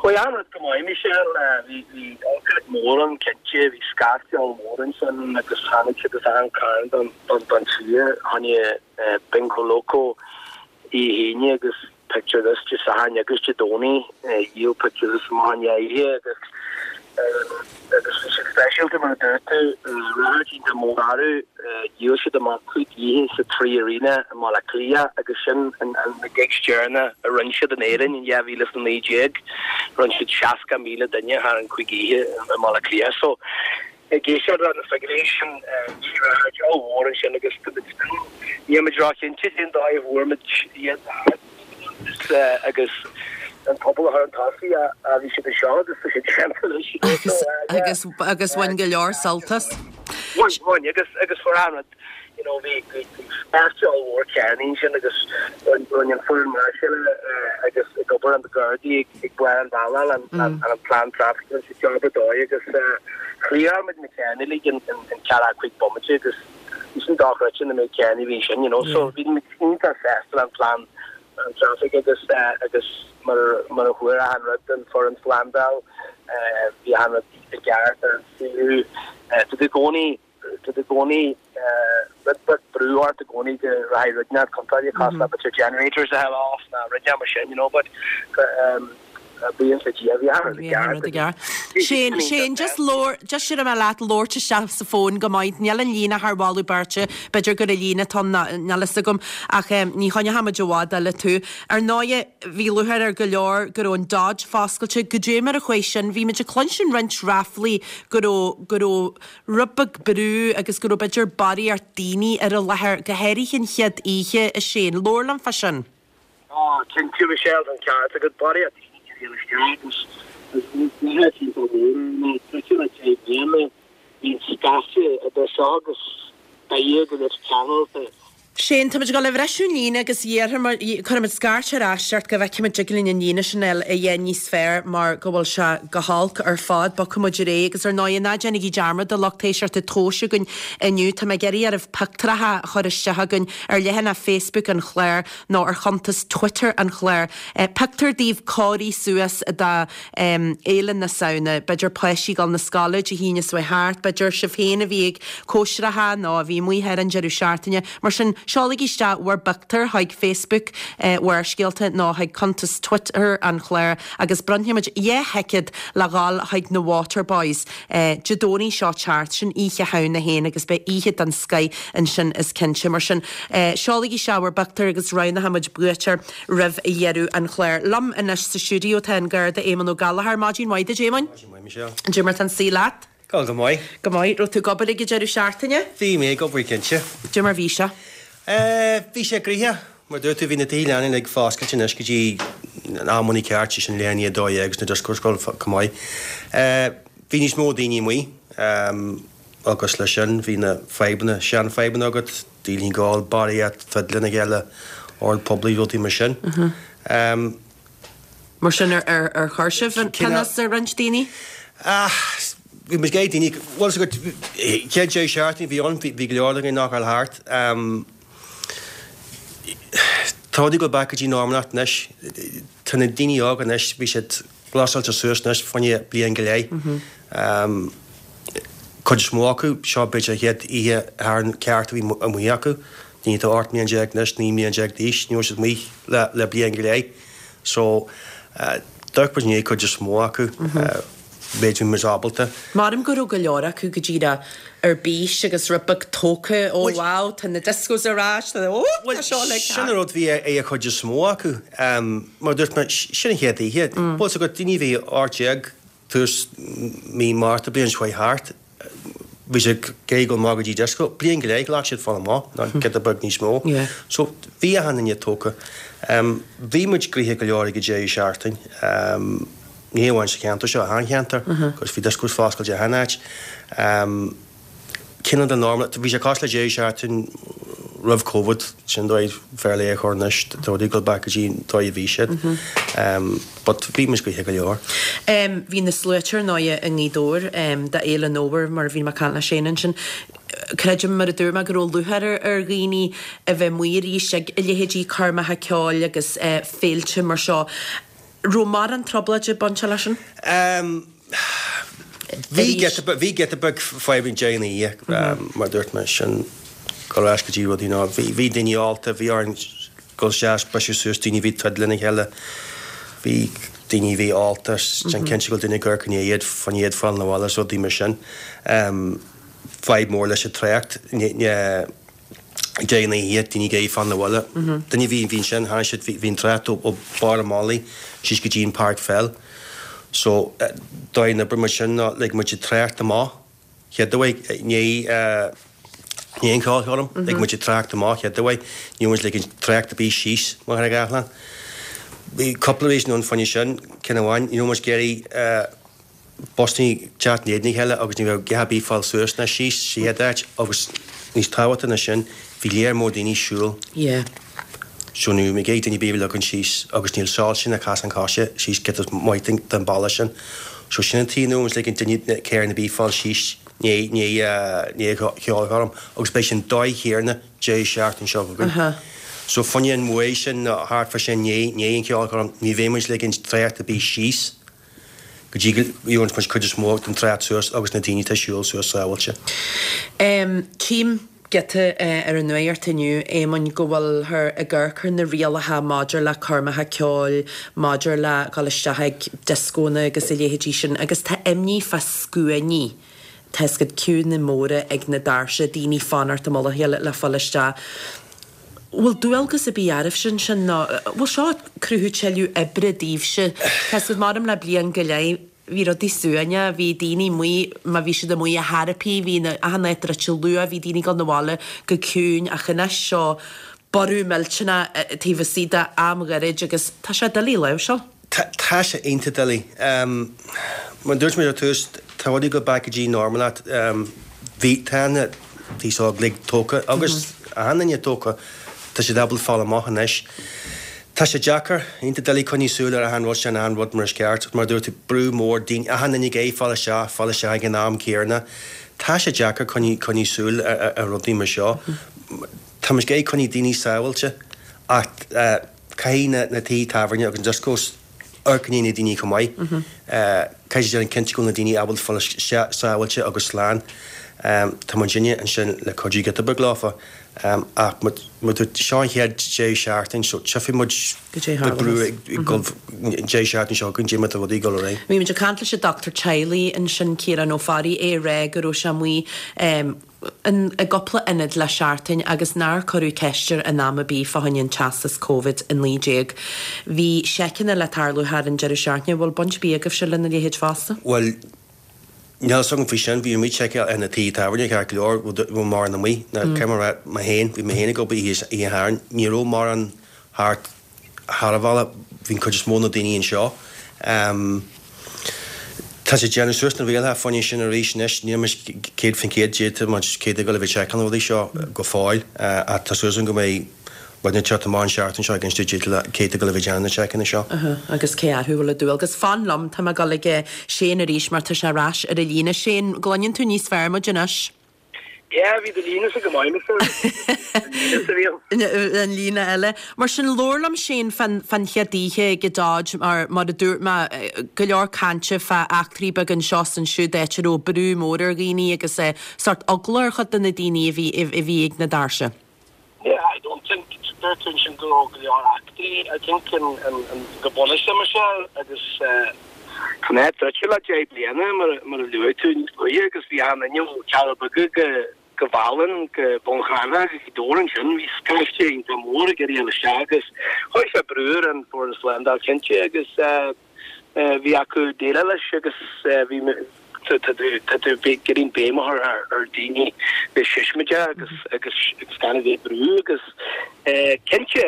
Chuaigh an rud go maith Michelle bhí bhí ócáid mór ann cinnte bhí scaifte mór ansin agus tháinig siad as achan cearn don don don tír tháinig Bingo Loco Dé hAoine agus Picture This Dé Sathairn agus Dé Domhnaigh dhíol Picture This amach an oíche agus agus bhí siad speisialta mar a dúirt tú ráithe mór orthu dhíol siad amach cúig oíche sa Three Arena i mBaile Átha Cliath agus sin an na gigs deireanacha a rinne siad in Éirinn in dhá mhíle is a naoi déag rinne siad seasca míle duine thar an cúig oíche i mBaile Átha Cliath so ag éisteacht leis na figiúirí sin bhí ráithe ollmhór ansin agus níl muid róchinnte cén dóigh a bhfuair muid iad agus an pobal a chur chun tosaigh a bhí siad anseo agus tá siad déanta anois.
Agus agus bhain go leor sult as.
Bhain bhain agus agus fuair an rud you know bhí bhí scaifte ollmhór cearnaí ansin agus rinne an foireann máirseála agus ag obair an Gardaí ag barr an bhealaigh an an plean traffic rinne siad job ar dóigh agus chliar muid na cearnaí uilig in in ceathracha cúig bomaite agus bhí sin dochreidte na méid cearnaí bhí sin you know so bhí muid iontach sásta le an plean an traffic agus agus mar mar a chuir an rud an foireann slándáil bhí an rud i gceart ar an suíomh tá tú i gcónaí tá tú i gcónaí rud beag brú ort i gcónaí go rachaidh rud inteacht contráilte cosúil le b'fhéidir generators a fháil off ná rud mar sin you know but um, bíonn le Dia bhí an rud i gceart
i gceart. Shane Shane just labhair just sin mé leat labhairt isteach sa fón go maith níl an líne thar mholadh beirte b'fhéidir gur an líne atá níl fhios agam ach um, ní choinneoimid i bhfad eile tú. Ar ndóigh bhí lúcháir ar go leor go raibh an Dodge foscailte goidé mar a chuaigh sin bhí muid ag cluinstin roinnt ráflaí go raibh go raibh rud beag brú agus go raibh b'fhéidir barraíocht daoine ar an láthair go háirithe an chéad oíche a Shane labhair liom fá sin.
Á cinnte Michelle an ceart agat barraíocht daoine agus bhí scaifte idir seo agus beidh go leis ceanailte
Shane, táimid ag dul a bhriseadh an líne agus cuirfimid scairt ar ais ort go bhfeicfimid dtig linn an líne sin a dhéanamh níos fearr mar go bhfuil sé go holc ar fad. Bogfaidh muid ar aghaidh agus ar ndóigh ná déanaigí dearmad a lucht éisteachta tomhais againn inniu. Tá mé ag iarraidh oraibh pictiúracha a chur isteach chugainn ar leathanach Facebook an chláir nó ar chuntas Twitter an chláir. Pictiúr daoibh cóirithe suas do Fhéile na Samhna, b'fhéidir páistí ag dul na scoile Dé hAoine seo thart, b'fhéidir sibh féin a bhí ag cóisireacha nó a bhí amuigh ar an deireadh seachtaine. Mar sin, seolaigí isteach bhur bpictiúir chuig Facebook Bharrscéalta nó chuig cuntas Twitter an chláir agus bronnfaimid dhá thicéad le dhul chuig na Waterboys Dé Domhnaigh seo teacht, sin Oíche Shamhna féin agus beidh oíche den scoith ansin is cinnte. Mar sin, seolaigí isteach bhur bpictiúir agus roghnóimid buaiteoir roimh dheireadh an chláir. Liom anois sa stiúideo tá an Garda Éamonn Ó Gallchóir. Maidin mhaith duit, Éamoinn.
Maidin mhaith, Michelle.
Cad é mar tá an saol leat?
Go go maith.
Go maith. Raibh tú ag obair ag an deireadh seachtaine?
Bhí mé ag obair, cinnte.
Cad é mar bhí sé?
Eh, bhí sé gnoitheach. Mar dúirt tú, bhí na tithe leanaí uilig foscailte anois go dtí an amannaí ceart, sé sin leath i ndiaidh a dó dhéag agus na discos ag dul chomh maith. Eh, bhí níos mó daoine amuigh, ehm, agus leis sin bhí na fadhbanna, seanfhadhbanna agat, daoine ag ól, barraíocht, troid lena chéile, ord poiblí, rudaí mar sin. Ehm.
Mar sin ar, ar, ar chuir sibh an pionós ar roinnt daoine?
Ah, bhí muid ag daoine, bhuel, is agat, chéad deireadh seachtaine a bhí ann, bhí, bhí go leor againn nach raibh thart. Ehm, tá rudaí ag dul back go dtí normalacht anois. Tá na daoine óga anois, bhí siad glasáilte suas anois fá choinne bliain go leith. Ehm, cuid is mó acu, seo b'fhéidir an chéad oíche Shathairn ceart a bhí amuigh acu. Daoine atá ocht mbliana déag anois, naoi mbliana déag d'aois, ní raibh siad amuigh le, le bliain go leith. So, d'amharc muid i ndiaidh cuid is mó acu, méid a bhí muid ábalta.
Maram go raibh go leor acu go díreach ar bís agus rud beag tógtha, oh wow, tá na discos ar ais, tá, oh, tá seo uilig
Sin an rud bhí ag an chuid is mó acu. Mar a dúirt mé, sin an chéad oíche. Bhuel, so go daoine a bhí ocht déag tús mí Márta bliain seo chuaigh thart, bhí siad ag iarraidh dul amach go dtí disco. Bliain go leith, ghlac siad fáil amach, nó giota beag níos mó. So, bhí achan duine tógtha. Bhí muid gnoitheach go leor ag an deireadh seachtain, ní hamháin sa cheantar seo, achan cheantar, agus bhí discos foscailte achan áit. Cineál de normal, bhí sé cosúil le deireadh seachtain roimh Covid, sin dóigh fairly a chur anois, tá rudaí ag dul back go dtí an dóigh a bhí siad. But bhí muid gnoitheach go leor.
Bhí na sluaite ar ndóighe i nGaoth Dobhair d'Fhéile an Fhómhair mar a bhí mé ag caint le Shane ansin. Creidim, mar a dúirt mé, go raibh lúcháir ar dhaoine a bheith amuigh arís ag leithéidí coirmeacha ceoil agus féilte mar seo. Raibh mórán trioblóide ag baint leis sin?
Bhí giota beag, bhí giota beag fadhb ag deireadh na hoíche, mar a dúirt mé, sin dul ar ais go dtí rudaí ná, bhí, bhí daoine ólta, bhí orainn dul isteach, briseadh suas daoine a bhí ag troid lena chéile, bhí daoine a bhí ólta, déan cinnte go bhfuil duine ag amharc i ndiaidh iad, fá choinne iad fáil 'na bhaile is rudaí mar sin. Fadhb mór leis an trácht, ní, ní, ag deireadh na hoíche, daoine ag iarraidh fáil 'na bhaile. Duine a bhí, bhí ansin, tháinig siad, bhí, bhí an trácht ó, ó barr an mhullaigh síos go dtí an páirc pheil. So, dóigh a n-oibrigh muid sin ná lig muid an trácht amach chéad uair, i ndiaidh, i ndiaidh an cheolchoirm, lig muid an trácht amach chéad uair, ní raibh muid ag ligean trácht ar bith síos Machaire Gathlán. Bhí cúpla reason ann fá choinne sin, ceann amháin, ní raibh muid ag iarraidh busannaí teacht in éadan a chéile agus ní raibh a dhath ar bith fáil suas ná síos sa chéad áit agus níos tábhachtaí ná sin, bhí léar mór daoine ag siúl.
Yeah.
So ní raibh ag daoine ar bith a ligean síos agus níl soilse ná casán coise síos giota maith den bealach sin. So sin an tuige nach raibh muid ag ligean duine carr ar bith fáil síos i ndiaidh an cheolchoirm agus beidh sin dóigh chéanna deireadh seachtain seo chugainn. So fá choinne an uair sin nó thart fá sin i ndiaidh an cheolchoirm ní bheidh muid ag ligean trácht ar bith síos go dtí go gheobhaidh muid cuid is mó den trácht suas agus na daoine atá ag siúl suas sábháilte.
Tchím giota ar an nuacht inniu, Éamoinn, go bhfuilthear ag amharc ar na rialacha maidir le coirmeacha ceoil, maidir le dhul isteach ag dioscónna agus a leithéidí sin agus tá imní fá scuainí, tá 'fhios agat, queueanna móra ag na doirse, daoine ag fanacht i mullach a chéile le fáil isteach. Bhfuil dualgas ar bith oraibhse ansin nó bhfuil seo ag cruthú tuilleadh oibre daoibhse? Tá 'fhios agat, maram le bliain go leith, bhí rudaí suaimhneach, bhí daoine amuigh, má bhí siad amuigh ar chor ar bith, bhí na, achan áit druidte luath, bhí daoine ag dul 'na bhaile go ciúin ach anois seo borradh millteanach taobh istigh de am ghairid agus tá sé doiligh a láimhseáil.
Tá sé iontach doiligh. Mar a dúirt mé ar tús, tá rudaí ag dul back go dtí normalacht. Bhí, tá na an t-aos óg uilig tógtha agus achan duine tógtha, tá siad ábalta fáil amach anois. Tá sé deacair, iontach doiligh coinneáil súil ar achan rud sin, achan rud mar is ceart. Mar a dúirt tú, brú mór, daoine, achan duine ag iarraidh fáil isteach, fáil isteach ag an am céanna. Tá sé deacair coinneáil, coinneáil súil ar, ar rudaí mar seo. Tá muid ag iarraidh coinneáil daoine sábháilte ach caithfidh na, na tithe tábhairne agus na discos amharc i ndiaidh na daoine chomh maith. Caithfidh siad déanamh cinnte go bhfuil na daoine ábalta fáil isteach sábháilte agus slán. Tá muidinne ansin le cuidiú giota beag leofa ach mar a dúirt, seo an chéad deireadh seachtaine so tchífidh muid
Goidé
brú ag dul deireadh seachtaine seo chugainn, goidé mar tá rudaí ag dul ar aghaidh.
Bhí muid ag caint leis an dochtúir teaghlaigh ansin, Ciarán Ó Fearraigh, é ag rá go raibh sé amuigh i gcúpla ionad le seachtain agus nár cuireadh ceist air in am ar bith fá choinne an teastas Covid a naoi déag. Bhí seiceanna le tarlú thar an deireadh seachtaine. Bhfuil baint ar bith agaibhse lena leithéid fosta?
Bhuel, níl a fhios agam faoi sin. Bhí muid ag seiceáil ar na tithe tábhairne ceart go leor, bhfuil mórán amuigh. Now, caithfidh mé a rá, mé féin, bhí mé féin ag obair oíche Shathairn, ní raibh mórán thart thar an bhealach, bhí an chuid is mó na daoine anseo. Tá sé ag déanamh suas na rialacha fá choinne sin arís anois, níl muid céad faoin chéad déanta, muid céad ag dul a bheith ag seiceáil na rudaí seo go fóill ach tá súil agam go mbeidh rud ag teacht amach an seachtain seo ag inse duit cé atá ag dul a bheith ag déanamh na seiceanna seo.
Agus cé orthu a bhfuil an dualgas. Fan liom, tá mé ag dul ag Shane arís mar tá sé ar ais ar an líne. Shane, gcluineann tú níos fearr muid anois?
Yeah, bhí do líne-sa go maith, Michelle. An líne sa bhí ann.
An líne eile. Mar sin, labhair liom, Shane, fán fán chéad oíche ag an Dodge, mar mar a dúirt mé, go leor cainte fá eachtraí beaga anseo is ansiúd, áit a raibh brú mór ar dhaoine agus sórt eagla ar chuid de na daoine a bhí a bhí ag na doirse.
Yeah, I don't think, dúirt tú ansin go raibh go leor eachtraí, I think an an an go bunúsach, Michelle, agus eh, tá an áit druidte le deich bliana mar mar a luaigh tú níos luaithe agus bhí achan duine ó Cheathrú Beaga go go Mhálainn, go Bun Cranncha, go Gaoth Dobhair ansin, bhí scaifte iontach mór ag iarraidh a dhul isteach agus chuir sé brú ar an foireann slándáil cinnte agus bhí acu déileáil leis agus bhí tá tú tá tú ag iarraidh béim a chur ar ar daoine bheith siosmaideach agus agus agus gan a bheith ag brú agus cinnte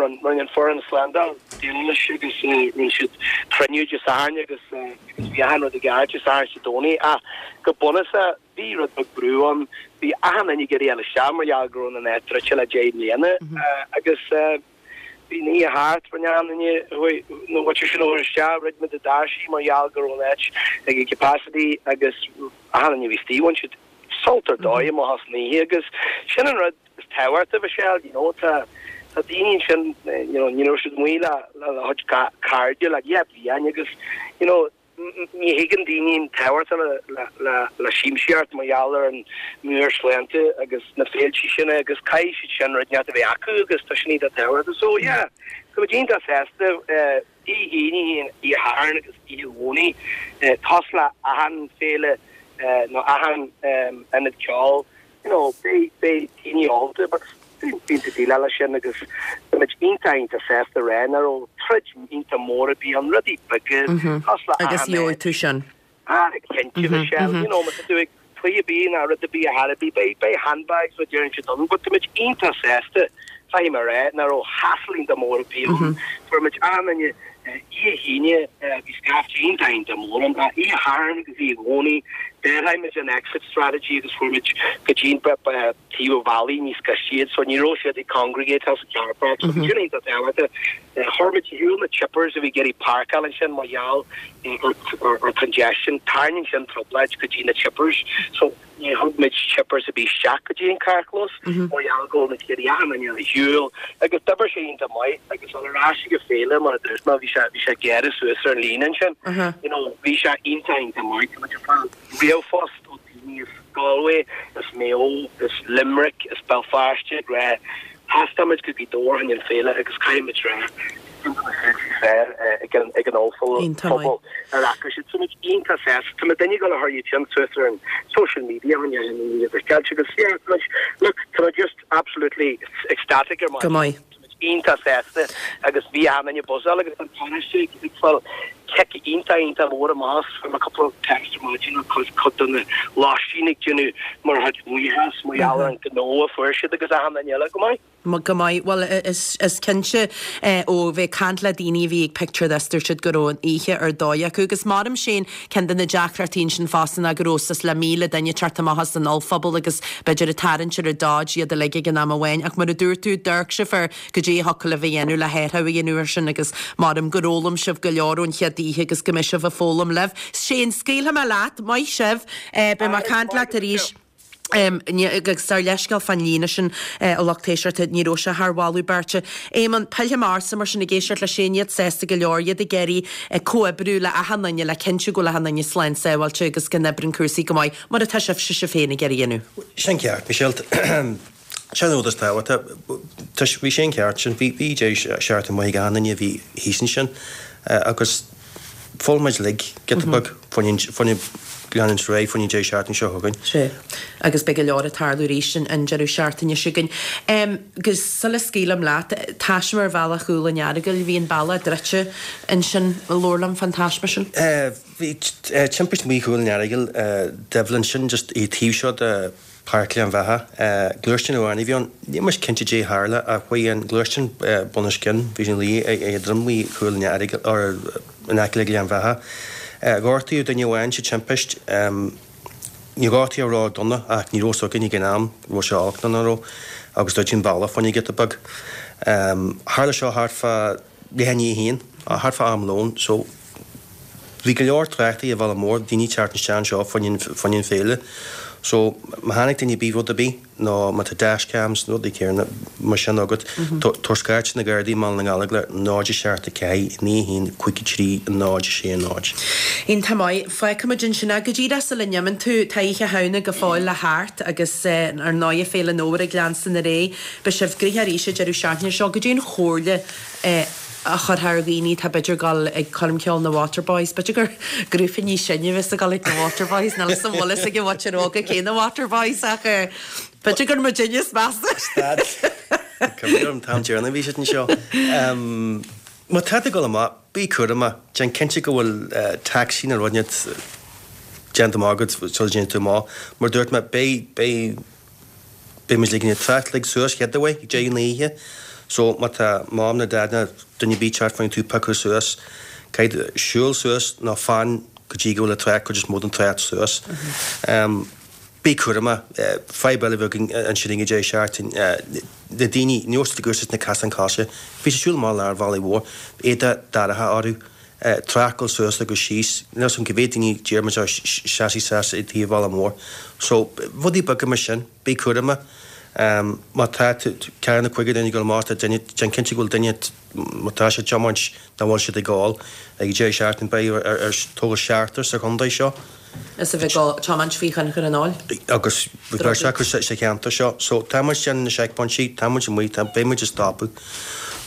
rinne an foireann slándáil déileáil leis agus rinne siad cruinniú Dé Sathairn agus agus bhí achan rud i gceart Dé Sathairn is Dé Domhnaigh ach go bunúsach bhí rud beag brú ann, bhí achan duine ag iarraidh a dhul isteach mar gheall go raibh an áit druidte le deich mbliana agus bhí an oíche thart, rinne achan duine na bhfuil sin a chur isteach, dhruid muid na doirsí mar gheall go raibh an áit ag capacity agus achan duine a bhí istigh, bhain siad sult ar dóigh amach as an oíche agus sin an rud is tábhachtaí Michelle, you know, tá tá daoine ansin, you know, ní raibh siad amuigh le le a gcuid cairde le deich bliain agus, you know, ní thuigeann daoine an tábhacht le siamsaíocht mar gheall ar an meabhairshláinte agus na féilte sin agus caithfidh siad sin rud inteacht a bheith acu agus tá sin iontach tábhachtach. So yeah, tá muid iontach sásta Oíche Aoine, Oíche Shathairn agus Oíche Dhomhnaigh cosúil le achan féile nó achan ionad ceoil. You know, beidh beidh daoine ólta but bíonn tú ag déileáil leis sin agus tá muid iontach iontach sásta a rá nach raibh troid iontach mór ar bith ann, rudaí beaga cosúil le
Agus
achan
gheobhaidh
áit.
tú sin.
Ah, cinnte Michelle, you know, má tá tú ag cluiche ar bith ná rud ar bith a chor ar bith, beidh beidh handbags mar a deireann siad ann but tá muid iontach sásta, caithfidh mé a rá, nach raibh hassle iontach mór ar bith ann. Fuair muid achan duine Oíche hAoine bhí scaifte iontach iontach mór ann. Oíche Shathairn agus Oíche Dhomhnaigh d'athraigh muid an exit strategy agus fuair muid go dtí an taobh an bhealaigh níos gaiste iad so ní raibh siad ag congregate sa car park so bhí sin iontach tábhachtach. Chuir muid ar shiúl na chippers a bhí ag iarraidh páirceáil ansin mar gheall ar congestion. Tarraingíonn sin trioblóid go dtí na chippers so ní thug muid chippers ar bith isteach go dtí an carrchlós mar gheall go bhfuil muid ag iarraidh achan duine ar shiúl agus d'oibir sé iontach maith agus dul ar ais ag an féile mar a dúirt mé bhí sé bhí sé gearradh suas ar an líne ansin you know bhí sé iontach iontach maith tá muid ag fáil ríomhphost ó daoine as Galway as Maigh Eo as Limerick as Béal Feirste ag rá Theastaigh muid go Gaoth Dobhair chun an féile agus caithfidh muid rá ceann de na féilte is fearr ag an ag an ollphobal ar fhaca siad. Tá muid iontach sásta. Tá muid ag dul a chur iad sin suas ar an social media chun iad a fheiceáil agus yeah tá muid look tá muid just absolutely ecstatic ar
Go maith.
Tá muid iontach sásta agus bhí achan duine ag buzzáil agus an paróiste ag fáil Cic iontach iontach mór amach fuair mé cúpla text ar maidin ó cuid cuid de na lóistín ag déanamh mar chuid buíochas mar gheall ar an gnó a fuair siad agus achan duine eile. Go maith.
Go maith. Bhuel, is is cinnte ó bheith ag caint le daoine a bhí ag Picture This dúirt siad go raibh an oíche ar dóigh acu agus maram sin ceann de na deacrachtaí ansin fosta ná go raibh suas le míle duine ag teacht amach as an ollphuball agus b'fhéidir ag tarraingt ar an Dodge iad uilig ag an am amháin ach mar a dúirt tú d'amharc sibh ar goidé a thiocfadh libh a dhéanamh le hathrú a dhéanamh ar sin agus maram gur fhoghlaim sibh go leor ón chéad oíche agus go mbeidh sibh ag foghlaim libh. Shane, scaoilfidh mé leat, maith sibh, beidh mé ag caint leat arís. Agus ár leithscéal fán líne sin a lucht éisteachta, ní raibh sé thar mholadh beirte. Éamonn, pillfidh mé ortsa mar sin ag éisteacht le Shane, iad sásta go leor, iad ag iarraidh comhoibriú le achan duine le cinntiú go bhfuil achan duine slán sábháilte agus go n-oibríonn cúrsaí go maith, mar atá sibhse sibh féin ag iarraidh a dhéanamh.
Sin ceart, Michelle. Sin an rud is tábhachtaí. Bhí sé an ceart sin. Bhí bhí deireadh seachtaine maith ag achan duine a bhí thíos ansin agus foghlaim muid uilig giota beag faoin leanúint ar aghaidh faoin deireadh seachtaine seo chugainn.
Sea. Agus beidh go leor ag tarlú arís an deireadh seachtaine seo chugainn. Agus sula scaoilim leat, taisme ar bhealach Chúil an Earagail, bhí an bealach druidte ansin, labhair liom fán taisme sin.
Bhí timpist amuigh Chúil an Earagail, Doibhlin, sin just an taobh seo de Páirc Ghleann Bheatha. Gluaisteán amháin a bhí ann. Níl muid cinnte caidé a tharla ach chuaigh an gluaisteán bunoscionn, bhí sé ina luí ag droim amuigh Chúil an Earagail, or in aice le Gleann Bheatha. Gortaíodh duine amháin sa timpist. Níor gortaíodh ró-dona ach ní raibh fhios againn ag an am raibh sé olc nó nach raibh agus druideadh an bealach fá choinne giota beag. Tharla seo thart fá leath i ndiaidh a haon, thart fá am lóin, so bhí go leor tráchta ar an bhealach mór, daoine ag teacht isteach anseo fá choinne an féile. So má chonaic duine ar bith rud ar bith nó má tá dash cams nó rudaí céanna mar sin agat, tabhair scairt na Gardaí i mBaile na nGallóglach náid a seacht a ceathair naoi a haon cúig a trí náid a sé náid.
Iontach maith. Fágfaimid ansin é. Go díreach sula n-imíonn tú, tá Oíche Shamhna go fóill le theacht agus ar ndóigh Féile an Fhómhair ag leanstan ar aghaidh. Beidh sibh gnoitheach arís an deireadh seachtaine seo. Goidé an chomhairle a chuirfeá ar dhaoine atá b'fhéidir ag dul ag coirm cheoil na Waterboys, b'fhéidir gur grúpa níos sine a bheas ag dul ag na Waterboys, níl 'fhios an bhfuil fhios ag an mhuintir óga cé na Waterboys ach b'fhéidir gur muidinne is measa.
Stad. Cuimhin liom an t-am deireanach a bhí siad anseo. Má tá tú ag dul amach, bí cúramach, déan cinnte go bhfuil taxi nó rud inteacht déanta amach agat sula dtéann tú amach. Mar dúirt mé, beidh, beidh, Beidh muid ag ligean an trácht uilig suas chéad uair ag deireadh na hoíche so má tá mam nó dad nó duine ar bith ag teacht fá choinne tú a phiocadh suas, caithfidh tú siúl suas nó fan go dtí go bhfuil an trácht, cuid is mó den trácht suas. Bí cúramach. Fadhb eile a bhí againn ansin ag an deireadh seachtaine, na daoine, ní raibh siad ag úsáid na casáin coise, bhí siad ag siúl amach lár an bhealaigh mhóir, éadach dorcha orthu, trácht ag dul suas agus síos, níl 'fhios a'm cé mhéad daoine d'iarr muid orthu seasamh suas i dtaobh an bhealaigh mhóir. So, rudaí beaga mar sin. Bí cúramach. Má tá tú, ceathair nó cúigear duine ag dul amach, tá duine, déan cinnte go bhfuil duine, má tá siad ag tiomáint, nach bhfuil siad ag ól. Ag an deireadh seachtaine beidh ar toghadh seachtar sa chontae seo.
Is a bheith ag tiomáint faoi thionchar an óil.
Agus bhí beirt acu sa cheantar seo. So tá muid ag déanamh na seicphointí, tá muid amuigh, tá, beidh muid ag stopadh.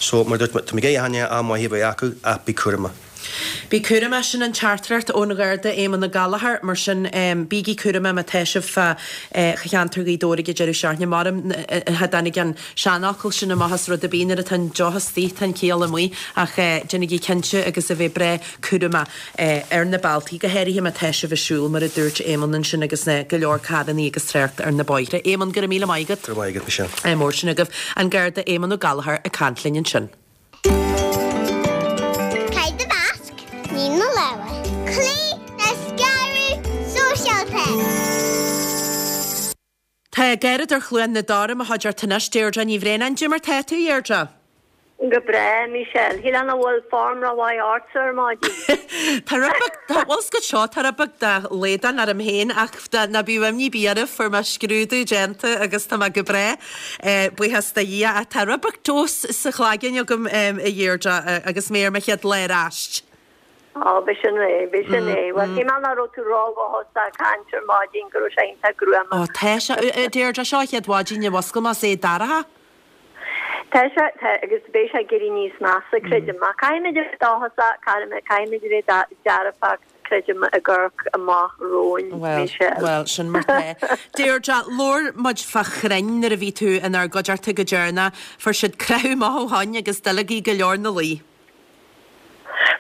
So mar a dúirt mé, tá mé ag iarraidh am maith a bheith acu ach bí cúramach.
Bí cúramach, sin an teachtaireacht ón Gharda Éamonn Ó Gallchóir. Mar sin, bígí cúramach má tá sibh fá cheantar Ghaoth Dobhair ag an deireadh seachtaine. Maram cha dtáinig an seanfhocal sin amach as rud ar bith, nuair atá an deoch istigh tá an ciall amuigh. Ach déanaigí cinnte agus a bheith breá cúramach ar na bealtaí, go háirithe má tá sibh ag siúl, mar a dúirt Éamonn ansin agus go leor carrannaí agus trácht ar na bóithre. Éamonn, go raibh míle maith agat.
Go raibh maith agat, Michelle.
Mór sin agaibh. An Garda Éamonn Ó Gallchóir ag caint linn ansin.
Caith do mhasc, nigh do lámha. Cloígh le scaradh sóisialta.
Tá Garradóir Chluain na Dara i mo chuideachta anois, Deirdre Ní Bhraonáin. Cad é mar tá tú, a Dheirdre?
Go breá, Michelle. Shílfeá nach bhfuil form rómhaith ortsa ar maidin.
Tá rud beag, tá, bhfuil 's agat seo, tá rud beag de shlaghdán orm féin ach ná bíodh imní ar bith oraibh, fuair mé scrúdú déanta agus tá mé go breá. Buíochas do Dhia ach tá rud beag tomhas sa chloigeann agam, a Dheirdre, agus mé ar mo chéad lá ar ais.
Á, b'shin é, b'shin é. Bhuel, shíl mé nach raibh tú ródhóchasach ag caint ar maidin, go raibh sé iontach gruama.
Á, tá sé, a Dheirdre, seo an chéad mhaidin a mhuscail mé is é dorcha.
Tá sé, tá, agus beidh sé ag éirí níos measa, creidim. Ach caithfimid a bheith dóchasach, caithfimid a bheith dearfach. Creidim ag amharc amach romhainn,
Bhuel,
Michelle.
bhuel, sin mar tá. Deirdre, labhair muid fá chrainn nuair a bhí tú inár gcuideachta go deireanach. Fuair siad croitheadh maith ó shoin agus duilleogaí go leor 'na luí.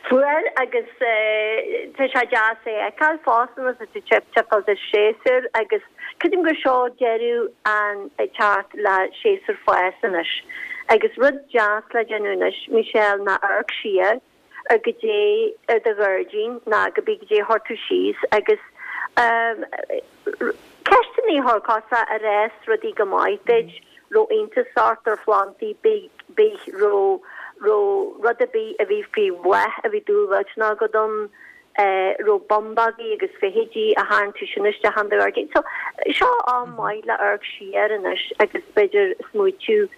Fuair agus tá sé deas é a fheiceáil fosta nuair atá tú timpeall de séasúr agus creidim gur seo deireadh an ag teacht le séasúr fás anois. Agus rud deas le déanamh anois, Michelle, ná amharc siar ar goidé ar do ghairdín ná cibé goidé a chuir tú síos agus ceisteanna a chur cosúil ar fhás rudaí go maith duit, raibh iontas ort ar phlandaí bith raibh raibh rud ar bith a bhí faoi bhláth a bhí dúil mhillteanach agat ann, raibh bumbógaí agus feithidí a tharraing tú sin isteach in do ghairdín. So, seo am maith le amharc siar anois agus b'fhéidir smaoitiú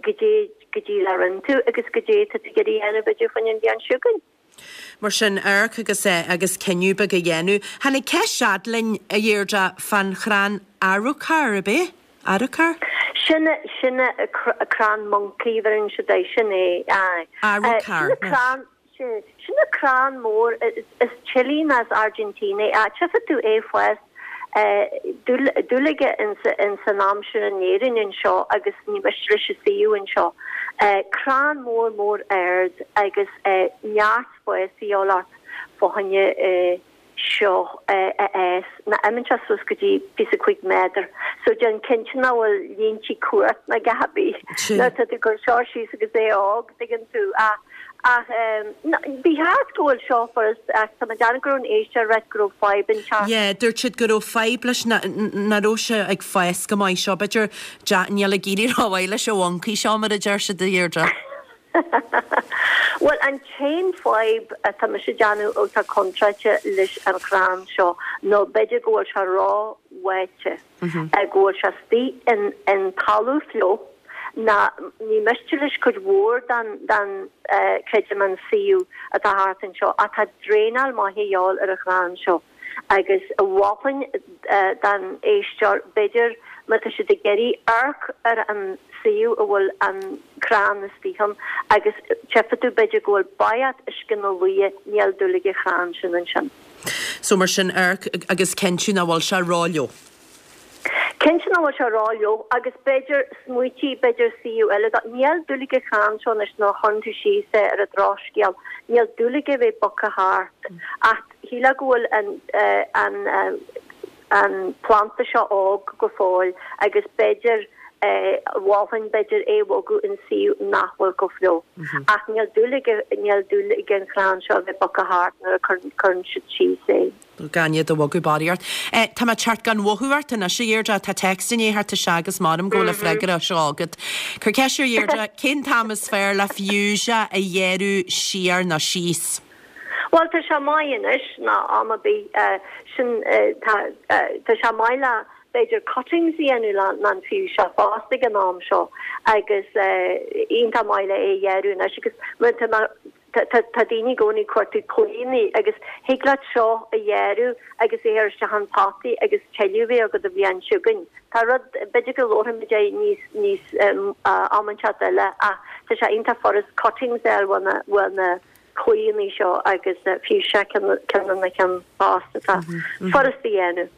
goidé goidé a rinne tú agus goidé atá tú ag iarraidh a dhéanamh b'fhéidir faoin an bhliain seo chugainn.
Mar sin, amharc agus agus cinneadh beag a dhéanamh. Tháinig ceist fhad linn, a Dheirdre, fán chrann arrochar, ab é? Arrochar?
Sin sin crann moncaí bheireann siad é, sin é, aye.
Arrochar,
Sin crann, sin sin crann mór, is Chile ná as Argentina é, ach tchífidh tú é fás dúil aige ins an aimsir in Éirinn anseo agus ní miste leis an suíomh anseo. Crann mór mór ard agus neart spáis a dhíobháil ort fá choinne seo a fhás. Ná imíonn sé suas go dtí píosa cúig méadar. So déan cinnte nach bhfuil línte cumhacht ná a dhath ar bith nuair atá tú ag cur seo síos agus é óg, tuigeann tú. Ach Ach ba cheart go bhfuil seo furast ach tá mé ag déanamh go raibh an éisteoir ag ráit go raibh fadhb inteacht.
Yeah, dúirt siad go raibh fadhb leis nach raibh sé ag fás go maith seo. B'fhéidir níl ag éirí rómhaith leis an mhoncaí seo mar a deir siad a Dheirdre.
Bhuel an t-aon fadhb atá mise ag déanamh atá contráilte leis an chrann seo nó b'fhéidir go bhfuil sé ró-bháite, go bhfuil sé istigh in in talamh fliuch ná ní miste leis cuid mhór den, den, creidim an suíomh atá thart anseo ach tá draenáil maith a dhíobháil ar an chrann seo agus mholfainn don éisteoir b'fhéidir má tá siad ag iarraidh amharc ar an suíomh a bhfuil an crann istigh ann agus tchífidh tú b'fhéidir go bhfuil baigheach uisce na luaidhe níl dúil ag an chrann sin ansin.
So mar sin amharc agus cinntiú nach bhfuil sé rófhliuch.
Cinnte nach bhfuil sé rófhliuch agus b'fhéidir smaoitigh, b'fhéidir suíomh eile dó. Níl dúil ag an chrann seo anois nuair a chuireann tú síos é ar an drochscéal, níl dúil aige bheith bogtha thart ach shílfeá go bhfuil an an an planda seo óg go fóill agus b'fhéidir mholfainn b'fhéidir é a bhogadh in suíomh nach bhfuil chomh fliuch. Ach níl dúil ag níl dúil ag an chrann seo a bheith bogtha thart nuair a cuireann siad síos é.
Gan iad a bhogadh barraíocht. Tá mé ag teacht gan mhothú ort anois, a Dheirdre. Tá téacs i ndiaidh theacht isteach agus measaim go bhfuil an freagra seo agat. Cuir ceist ar Dheirdre, cén t-am is fearr le fuchsia a ghearradh siar nó síos?
Bhuel, tá sé maith anois ná am ar bith. Sin, tá, tá sé maith le, b'fhéidir, cuttings a dhéanamh le an fuchsia fosta ag an am seo agus iontach maith le é a ghearradh anois agus mar tá mé, Tá daoine i gcónaí ag cuartú claíonnaí agus thig leat seo a ghearradh agus é a chur isteach in potaí agus tuilleadh a bheith agat an bhliain seo chugainn. Tá rud, b'fhéidir go labharfaimid é níos, níos, am inteacht eile ach tá sé iontach furast cuttings a fháil uaidh na claíonnaí seo agus fuchsia ceann de na cinn fosta atá furast a dhéanamh.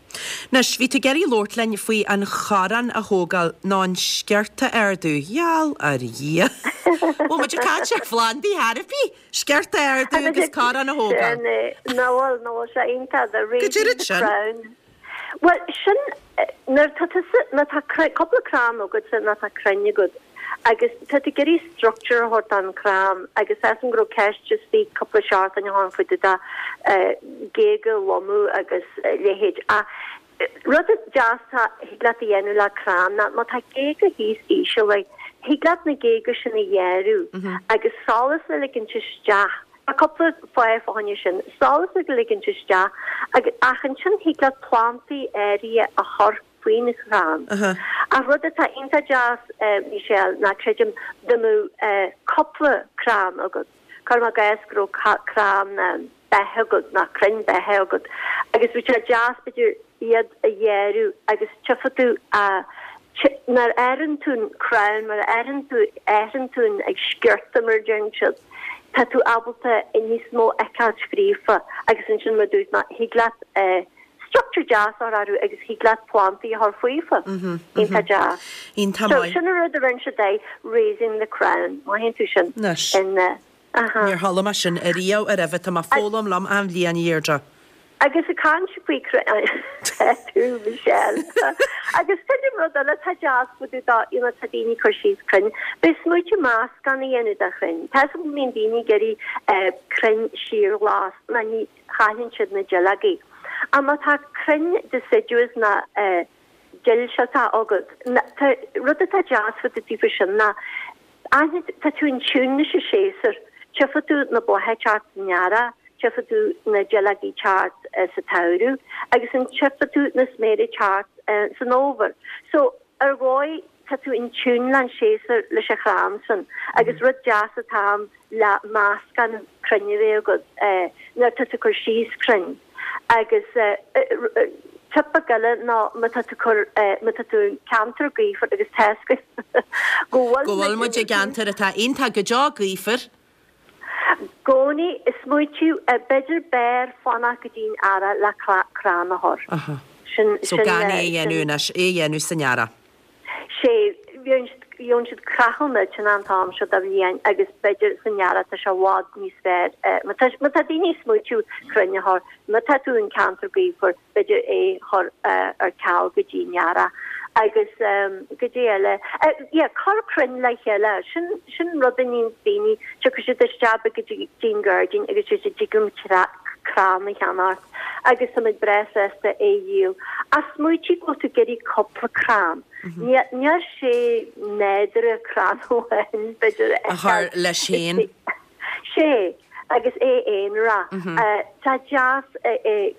Anois, bhí tú ag iarraidh labhairt linn faoi an chorrán a thógáil nó an sciorta a ardú. Gheall ar Dhia! Bhfuil muid ag caint ar phlandaí ar bith? Sciorta a ardú agus corrán a thógáil.
Sin é. Ná bhfuil, ná bhfuil sé iontach, the
Go
raising
deireadh
the
sin.
crown. Bhuel, sin, nuair atá tusa, má tá cúpla crann agatsa, nó tá crainn agat, agus tá tú ag iarraidh structure a thabhairt don chrann agus tá 'fhios a'm go raibh ceist istigh cúpla seachtain ó shin faoi dtaobh de géaga a lomadh agus a leithéid ach rud deas a thig leat a dhéanamh le crann ná má tá géaga thíos íseal like thig leat na géaga sin a ghearradh agus solas a ligint isteach Tá cúpla fáth fá choinne sin, solas a ligint isteach agus ach ansin thig leat plantaí áirithe a chur faoin chrann. Ach rud atá iontach deas, Michelle, ná creidim dá mbeadh cúpla crann agat, cuirim i gcás go raibh crann beithe agat ná crainn beithe agat agus bhí sé deas b'fhéidir iad a ghearradh agus tchífidh tú a nuair a athraíonn tú an crann, nuair a athraíonn tú athraíonn tú an ag sciorta mar a deireann siad, tá tú ábalta níos mó a fheiceáilt fríofa agus ansin mar a dúirt mé thig leat structure deas a chur orthu agus thig leat plantaí a chur faofa. Iontach deas.
Iontach
So
maith.
sin an rud a rinne siad é, raising the crown, mothaíonn tú sin
Anois.
in Aha.
Níor chuala mé sin ariamh roimhe, tá mé ag foghlaim liom achan bhliain a Dheirdre.
Agus ag caint faoi crainn tú Michelle. Agus tuigeann rud eile tá deas fá dtaobh dá you know tá daoine ag cur síos crainn. Bheith smaoitiú meascán a dhéanamh de chrainn. Tá 'fhios agam go mbíonn daoine ag iarraidh crainn síorghlas ná ní chailleann siad na duilleogaí. Ach má tá crainn deciduous ná duillsilteach agat, tá rud atá deas fá dtaobh faoi sin ná aithne tá tú in tune leis an séasúr. Tchífidh tú na blátha ag teacht san earrach, tchífidh tú na duilleogaí ag teacht sa tsamhradh agus an tchífidh tú na sméara ag teacht san fhómhar. So ar dhóigh tá tú in tune le an séasúr leis an chrann sin agus rud deas atá ann le meascán crainn a bheith agat nuair atá tú ag cur síos crainn agus tip beag eile ná má tá tú cur má tá tú i gceantar gaofar agus tá 'fhios againn go bhfuil
Go bhfuil muid i gceantar atá iontach go deo gaofar.
gcónaí ag smaoitiú b'fhéidir b'fhearr fanacht go dtí'n earrach le crann a chur. Sin
So gan é a dhéanamh anois, é a dhéanamh san earrach.
Sé, gheobhann siad creathadh millteanach an t-am seo de bhliain agus b'fhéidir san earrach tá sé i bhfad níos fearr. Má tá má tá daoine ag smaoitiú crainn a chur, má tá tú in ceantar gaofar, b'fhéidir é chur ar ceal go dtí an earrach. Agus goidé eile? Yeah, cur crainn le chéile, sin sin rud a níonns daoine, tiocfaidh siad isteach go dtí'n gairdín agus deir siad dtig liom crann a cheannacht agus tá muid breá sásta é a dhíol. Ach smaoitigh go bhfuil tú ag iarraidh cúpla crann. Níl sé nádúrtha crann amháin, b'fhéidir,
a chur leis féin.
Sé, agus é aonarach. Tá deas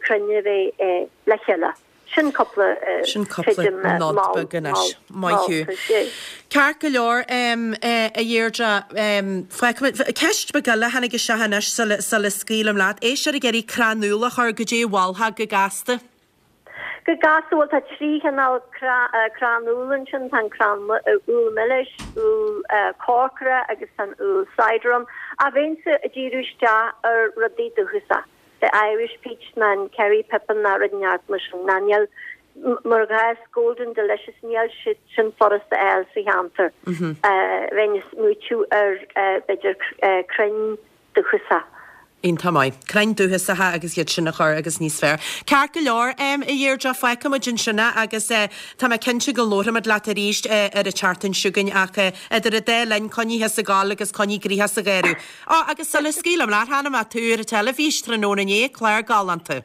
crainn a bheith le chéile. Sin cúpla
Sin cúpla nod beag anois. Maith thú. Ceart go leor, a Dheirdre, fágfaimid, ceist beag eile a tháinig isteach anois sula, sula scaoilim leat. Éisteoir ag iarraidh crann úll a chur, goidé a mholfá go gasta?
Go gasta, bhuel tá trí chineál crann úll ansin, tá an crann úll milis, úll corcra agus tá an úll cider ann. Ach bheinnse ag díriú isteach ar rudaí dúchasacha. The Irish Peach ná an Kerry Pippin ná rud inteacht mar sin ná níl mar ghás Golden Delicious níl siad sin furasta a fháil sa cheantar. Bheinn ag smaoitiú ar b'fhéidir crainn dúchasacha.
Iontach maith. Crainn dúchasacha agus iad sin a chur agus níos fearr. Ceart go leor, a Dheirdre, fágfaidh muid ansin é agus tá mé cinnte go labharfaimid leat arís ar an tseachtain seo chugainn ach idir an dá linn, coinnigh thusa ag gabháil agus coinnigh gnoitheach sa gheimhreadh. Á, agus sula scaoilim leat, chonaic mé tú ar an teilifís tráthnóna inné, clár galánta.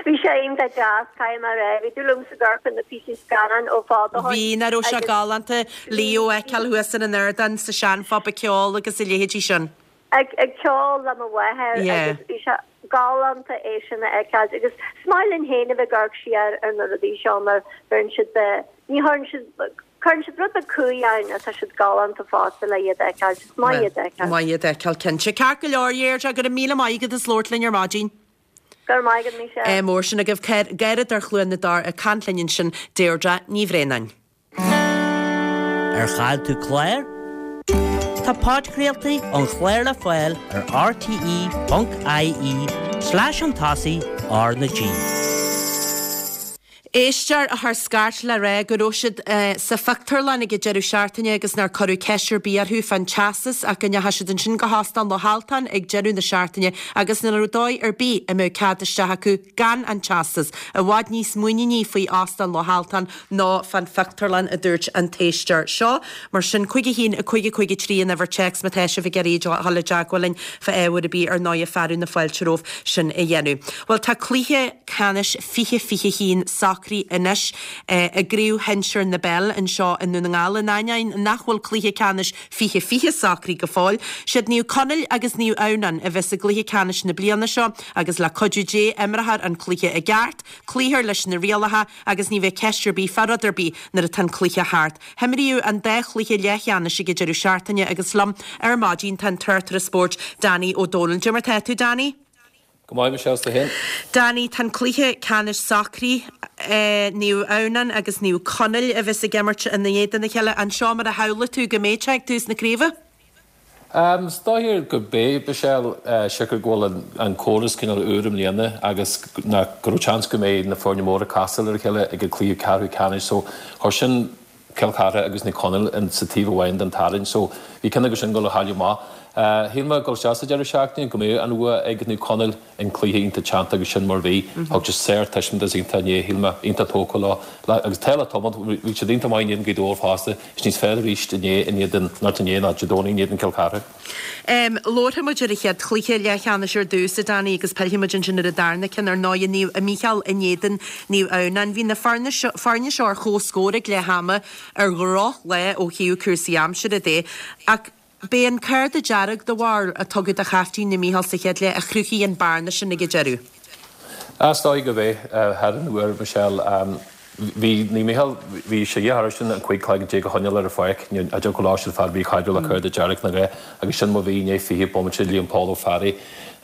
Bhí sé iontach deas, caithfidh mé a rá. Bhí dúil agam sa gcur na píosaí scannáin ó fada ó shin.
Bhí, nach raibh sé galánta Leo a fheiceáil thuas ar an ardán sa seanphub ag ceol agus a leithéidí sin.
Ag ceol le mo mháthair agus bhí sé galánta é sin a fheiceáil agus is maith linn féin a bheith ag amharc siar ar na rudaí seo mar bheireann siad, ní chuireann siad, cuireann siad rud beag cumhaidh ann ach tá siad galánta fosta le iad a fheiceáil, is maith iad a fheiceáil.
Maith iad a fheiceáil, cinnte. Ceart go leor, Dheirdre, go raibh míle maith agat as labhairt linn ar maidin.
Go raibh maith agat, Michelle.
Ádh mór sin agaibh. Garradóir Chluain na dTor ag caint linn ansin, Deirdre Ní Bhraonáin.
Ar chaill tú clár? Tá podchraoltaí an chláir le fáil ar rte ponc ie slash chun tosaigh R na G.
Éisteoir a chuir scairt le rá go raibh siad sa phictiúrlann ag an deireadh seachtaine agus nár cuireadh ceist ar bith orthu fán teastas ach go ndeachaigh siad ansin go hÓstán Loch Altáin ag deireadh na seachtaine agus nach raibh dóigh ar bith a mbeadh cead isteach acu gan an teastas. I bhfad níos muiníní faoi Óstán Loch Altáin ná fán phictiúrlann, a dúirt an t-éisteoir seo. Mar sin, cúig a haon, a cúig a cúig a trí an uimhir téacs má tá sibh ag iarraidh dul i dteagmháil linn fá ábhar ar bith, ar ndóighe fearadh na fáilte romhaibh sin a dhéanamh. Bhuel, tá cluiche ceannais fiche fiche haon socraithe anois i gCraobh Shinsir na bPeile anseo i nDún na nGall, in ainneoin nach bhfuil cluiche ceannais fiche fiche socraithe go fóill. Siad Naomh Conaill agus Naomh Adhamhnáin a bheas i gcluiche ceannais na bliana seo agus le cuidiú Dé imreofar an cluiche i gceart, cloífear leis na rialacha agus ní bheidh ceist ar bith fá rud ar bith nuair atá an cluiche thart. Himríodh an dá chluiche leathcheannais ag an deireadh seachtaine agus liom ar maidin tá an tráchtaire spóirt Danny Ó Dónaill. Cad é mar tá tú, Danny?
Go maith, Michelle, 's tú féin?
Danny, tá an cluiche ceannais socraithe, Naomh Adhamhnáin agus Naomh Conaill a bheas ag imirt in éadan a chéile. An seo mar a shamhlaigh tú go mbeadh sé ag tús na craoibhe?
Is dóigh go mbeidh, Michelle, siocair go bhfuil an córas cineál úr i mbliana agus go raibh seans go mbeidh na foirne móra ag casáil ar a chéile ag an cluiche ceathrú ceannais so chuir sin Cill Chartha agus Naomh Conaill in sa taobh amháin den tarraingt so bhí ceann acu sin ag dul a chailleadh amach. Shíl mé ag dul isteach sa deireadh seachtaine go mbeadh an bhua ag Naomh Conaill an cluiche iontach teannta agus sin mar bhí. Thug siad sár-taispeántas iontach inné, shíl mé, iontach tógtha leo. Agus tá le tiomáint, bhí siad iontach maith in éadan Gaoth Dobhair fosta, is níos fearr arís inné in éadan, not inné ná Dé Domhnaigh in éadan Cill Chartha.
Labharfaidh muid ar an chéad chluiche leathcheannais ar dtús, a Danny, agus pillfidh muid ansin ar an darna ceann ar ndóigh, Naomh Mícheál in éadan Naomh Adhamhnáin. Bhí na foirne seo ar comhscór ag leath ama ar dhrochlá ó thaobh cúrsaí aimsire de, ach B'é an cárta dearg do bharúil a tugadh do chaiftín Naomh Mícheál sa chéad leath a chruthaigh an bearna sin ag an deireadh.
Is dóigh gurb é, thar an uair, Michelle. Bhí Naomh Mícheál, bhí sé dhíothach orthusan an cúig cloigeann déag a choinneáil ar an pháirc. Cha dtiocfadh leo siad fear míchaidriúil le cárta dearg nó dhá agus sin mar bhí i ndiaidh fiche bomaite Liam Paul Ó Fearraigh.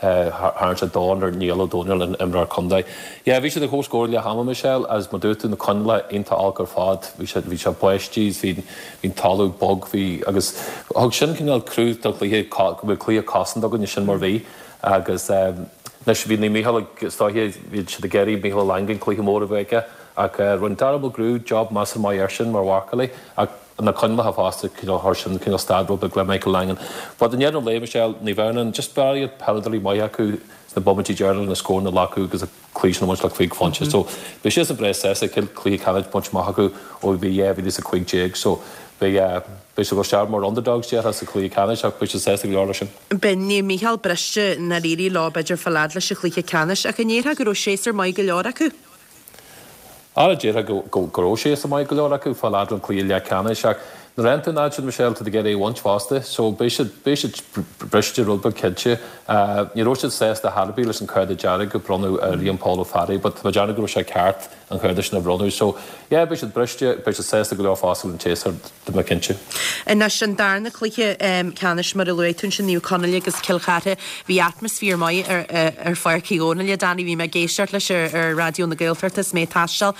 Tharraing sé dorn ar Niall Ó Dónaill, an imreoir contae. Yeah, bhí siad ar comhscór leath ama, Michelle, agus mar dúirt tú, na coinníollacha iontach olc ar fad. Bhí sé, bhí sé báistí, bhí, bhí an talamh bog, bhí, agus thug sin cineál cruth don chluiche, go mbeadh cluiche cosanta againn, sin mar bhí. Agus anois, bhí Naomh Mícheál ag, is dóiche, bhí siad ag iarraidh Mícheál Ó Langan cluiche mór a bheith aige, ach rinne Dara Mulgrew job measartha maith air sin mar mharcálaí, ach na coinníollacha fosta, cineál chuir sin cineál stad rud beag le Michael Langan. But i ndeireadh an lae, Michelle, Naomh Adhamhnáin, just b'fhearr peileadóirí maithe acu sna bomaití deireanacha na scóranna a ghlacadh agus an cluiche sin a bhaint le cúig phointe. So beidh siadsan breá sásta chéad cluiche ceannais bainte amach acu ó bhí dhá mhíle is a cúig déag. So beidh beidh siad ag dul isteach mar underdogs déarfá sa chluiche ceannais ach beidh siad sásta go leor leis sin.
Beidh Naomh Mícheál briste nár éirigh leo b'fhéidir fáil fhad leis an chluiche ceannais ach an ndéarfá go raibh séasúr maith go leor acu?
Ara, déarfá go raibh séasúr maith go leor acu fáil fhad le cluiche leathcheannais ach nuair a fhaigheann tú an fhad sin, Michelle, tá tú ag iarraidh é a bhaint fosta. So beidh siad, beidh siad briste rud beag cinnte. Ní raibh siad sásta chor ar bith leis an cárta dearg a bronnadh ar Liam Paul Ó Fearraigh but tá mé ag déanamh go raibh sé ceart an cárta sin a bhronnadh. So yeah, beidh siad briste, beidh siad sásta go leor fosta leis an tséasúr, tá mé cinnte.
Anois an darna cluiche ceannais mar a luaigh tú ansin, Naomh Conaill agus Cill Chartha. Bhí atmaisféar maith ar ar Pháirc Uí Dhónaill, a Danny, bhí mé ag éisteacht leis ar ar Raidió na Gaeltachta is mé ag taisteal.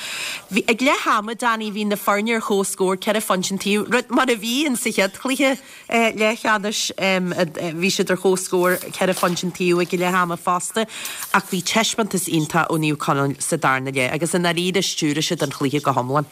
Bhí, ag leath ama, Danny, bhí na foirne ar comhscór, ceithre phointe an taobh, rud mar a bhí in sa chéad chluiche leathcheannais, bhí siad ar comhscór, ceithre phointe an taobh ag leath ama fosta, ach bhí taispeántas iontach ó Naomh Conaill sa darna leath agus i ndáiríre stiúraigh siad an chluiche go hiomlán.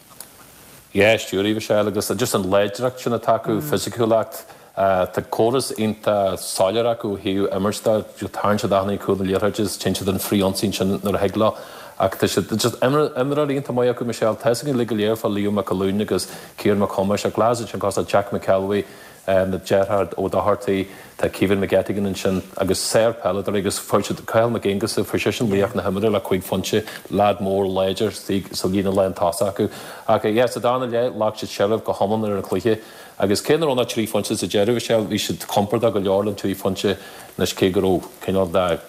Yeah, stiúraigh Michelle agus just an láidreacht sin atá acu, fisiciúlacht, tá córas iontach soiléir acu ó thaobh imirt de, tarraing siad achan duine cúl na liathróide is téann siad an frith-ionsaí ansin nuair a thig leo. Ach tá siad just imreoirí iontach maith acu Michelle, tá fhios againn uilig go léir fá Leo McAloon agus Ciarán Mac Thomáis ach lads ansin cosúil le Jack McElwee, na deartháir Ó Dochartaigh, tá Caoimhín McGettigan ansin agus sár-pheileadóirí agus fuair siad Cathal Mac Aonghusa, fuair seisean laoch na himeartha le cúig phointe, leaid mór láidir sa líne lán tosach acu. Ach yeah, sa darna leath, ghlac siad seilbh go hiomlán ar an chluiche agus cé nach raibh ach trí phointe sa deireadh, bhí sé, bhí siad compordach go leor le trí phointe anois cé go raibh cineál de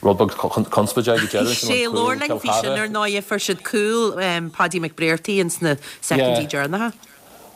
rud beag conspóideach ag deireadh
sin an cúl Cill Chartha. Sin ar ndóigh fuair siad cúl Paddy McBrearty ins na soicindí deireanacha.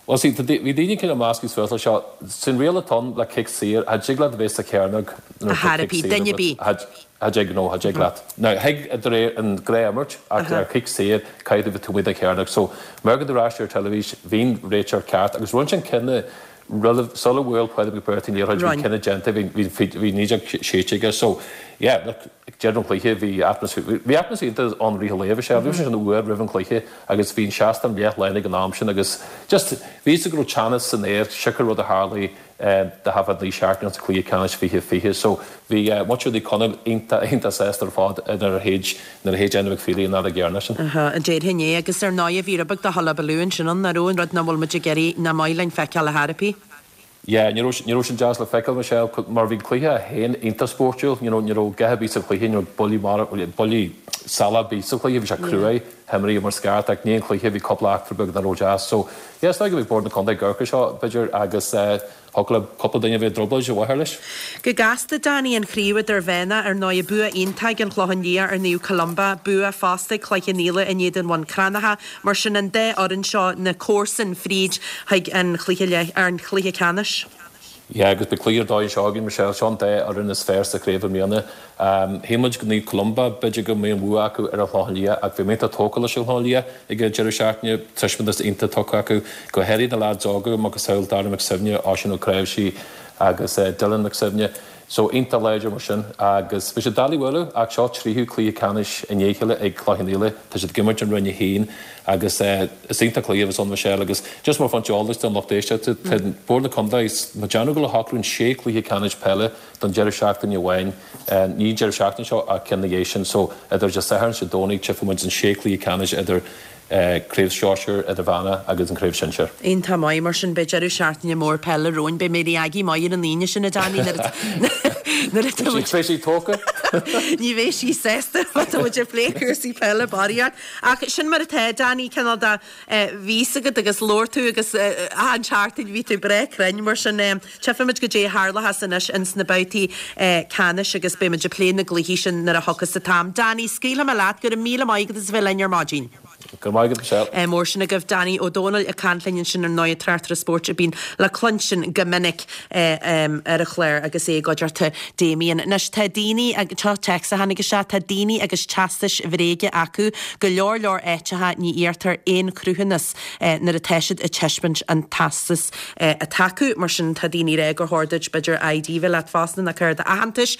Bhuel, see, tá, bhí daoine cineál measctha suas leis seo. Sin riail atá ann le cic saor, cha dtig leat a bheith sa chearnóg nuair atá cic saor agat. Cha dtig, no, cha dtig leat. Now, thig de réir an ghnáth-imirt ach ar chic saor, caithfidh tú bheith taobh amuigh den chearnóg. So, mar go ar ais ar teilifís, bhí an réiteoir ceart agus rinne sé an cinneadh roimh, sular bhuail Pádraig McBrearty an liathróid, bhí an cinneadh déanta, bhí, bhí, bhí naoi déag séidte aige. So, yeah, look, ag deireadh an chluiche bhí atmaisféar, bhí atmaisféar iontach ann i rith an lae, bhí sé, bhí sé an uair roimh an chluiche agus bhí an seastán leath lán ag an am sin agus just bhí fhios go raibh teannas san aer, siocair rud a tharlaigh do thaifead naoi seachtaine sa chluiche ceannais fiche fiche. So bhí muintir Naomh Conaill iontach, iontach sásta ar fad nuair a shéid, nuair a shéid Enda McFeely an fheadóg dheireanach sin.
Aha, déarfainn é agus ar ndóigh bhí rud beag de hullabaloo ansin ann, nach raibh, an rud nach bhfuil muid ag iarraidh, nach maith linn feiceáil ar chor ar bith.
Yeah, ní raibh, ní raibh sin deas le feiceáil, Michelle, mar bhí an cluiche féin iontach spórtúil, you know, ní raibh gath ar bith sa chluiche, ní raibh buillí mara, buillí salach ar bith sa chluiche, bhí sé cruaidh, himríodh mar is ceart, ach i ndiaidh an chluiche bhí cúpla eachtra beag nach raibh deas. So, yeah, is dóigh go mbeidh Bord na Contae ag amharc air seo, b'fhéidir, agus eh, thiocfadh le cúpla duine a bheith i dtrioblóid a mháthair leis.
Go gasta, Danny, an chraobh idirmheánach, ar ndóigh, bua iontach ag an Chlochán Liath ar Naomh Columba, bua fosta ag Cloich Cheann Fhaola in éadan Bhun Cranncha. Mar sin, an dá fhoireann seo, na comharsain fríd chuig an chluiche leath, an chluiche ceannais.
Yeah, agus beidh cluiche ar dóigh anseo againn, Michelle. Seo an dá fhoireann is fearr sa chraobh i mbliana. Shíl muid go Naomh Columba, b'fhéidir go mbeidh an bhua acu ar an Chlochán Liath ach bhí mé iontach tógtha leis an Chlochán Liath ag an deireadh seachtaine, taispeántas iontach tugtha acu, go háirithe na leaids óga, macasamhail Darragh McSuibhne, Oisín Ó Cnáimhsí agus Dylan McSuibhne. So iontach láidir mar sin agus bhí sé doiligh a bhualadh ach seo tríú cluiche ceannais i ndiaidh a chéile ag Cloich Cheann Fhaola. Tá siad ag imirt in Roinn a haon agus is iontach cluiche a bheas ann Michelle agus just mar phointe eolais don lucht éisteachta tá Bord na Contae ag déanamh go le shocrú an sé cluiche ceannais peile don deireadh seachtaine amháin, ní an deireadh seachtaine seo ach ceann na dhiaidh sin so idir Dé Sathairn is Dé Domhnaigh tchífidh muid an sé cluiche ceannais idir Craobh Sóisir, Idirmheánach agus an Craobh Shinsir.
Iontach maith, mar sin beidh deireadh seachtaine mór peile romhainn. Beidh Mary Aggie maith ar an Aoine sin, a Danny, nuair atá muid.
Beidh sí tógtha.
Ní bheidh sí sásta má tá muid ag plé cúrsaí peile barraíocht. Ach sin mar atá, Danny, cineál de bhí fhios agat agus labhair tú agus achan seachtain bhí tú breá cruinn, mar sin tchífimid goidé a tharlóchas anois ins na babhtaí ceannais agus beidh muid ag plé na gcluichí sin nuair a thiocfas an t-am. Danny, scaoilfidh mé leat, go raibh míle maith agat as a bheith linn ar maidin.
Go raibh maith agat, Michelle.
Mór sin agaibh. Danny Ó Dónaill ag caint linn ansin ar ndóigh, tráchtaire spóirt a bíonn le cluinstin go minic ar an chlár agus é i gcuideachta Damien. Anois tá daoine, seo téacs a tháinig isteach, tá daoine agus teastais bhréige acu, go leor leor áiteacha ní iarrtar aon chruthúnas nuair atá siad ag taispeáint an teastas atá acu. Mar sin tá daoine ag rá gur chóir duit b'fhéidir ID bheith leat fosta nó cárta aitheantais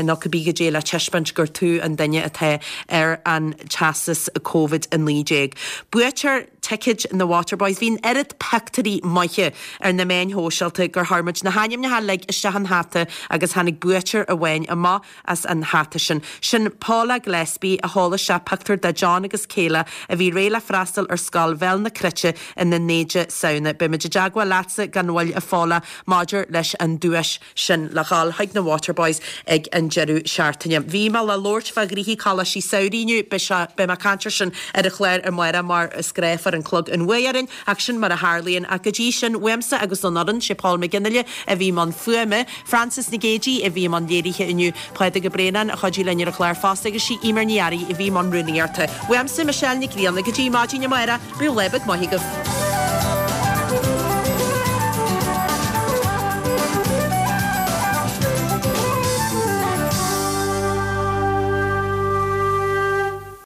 nó cibé goidé le taispeáint gur tú an duine atá ar an teastas Covid a naoi déag. Buaiteoir ticéid na Waterboys. Bhí an oiread pictiúirí maithe ar na meáin shóisialta gur chuir muid na hainmneacha uilig isteach in hata agus tháinig buaiteoir amháin amach as an hata sin. Sin Paula Gillespie a sheol isteach pictiúr de John agus Kayla a bhí réidh le freastal ar scoil Bhéal na Cruite an a naoi de Samhna. Beidh muid i dteagmháil leatsa gan mhoill a Phaula maidir leis an duais sin le dhul chuig na Waterboys ag an deireadh seachtaine. Bhí mé le labhairt fá ghnoithí Coláistí Samhraidh inniu, beidh sé, beidh mé ag caint air sin ar an chlár amárach mar is gnách fuair an clog an bhuaidh orainn ach sin mar a tharlaíonn. Ach go dtí sin, uaimse agus ón fhoireann, sé Paul McGinley a bhí i mbun fuaime, Frances Nic Géadaigh a bhí i mbun léirithe inniu, Pádraig Ó Braonáin a chuidigh linn ar an chlár fosta agus sí Eimear Ní Fhearraigh a bhí i mbun rúnaíochta. Uaimse, Michelle Nic Grianna, go dtí maidin amárach, bíodh lá beag maith agaibh.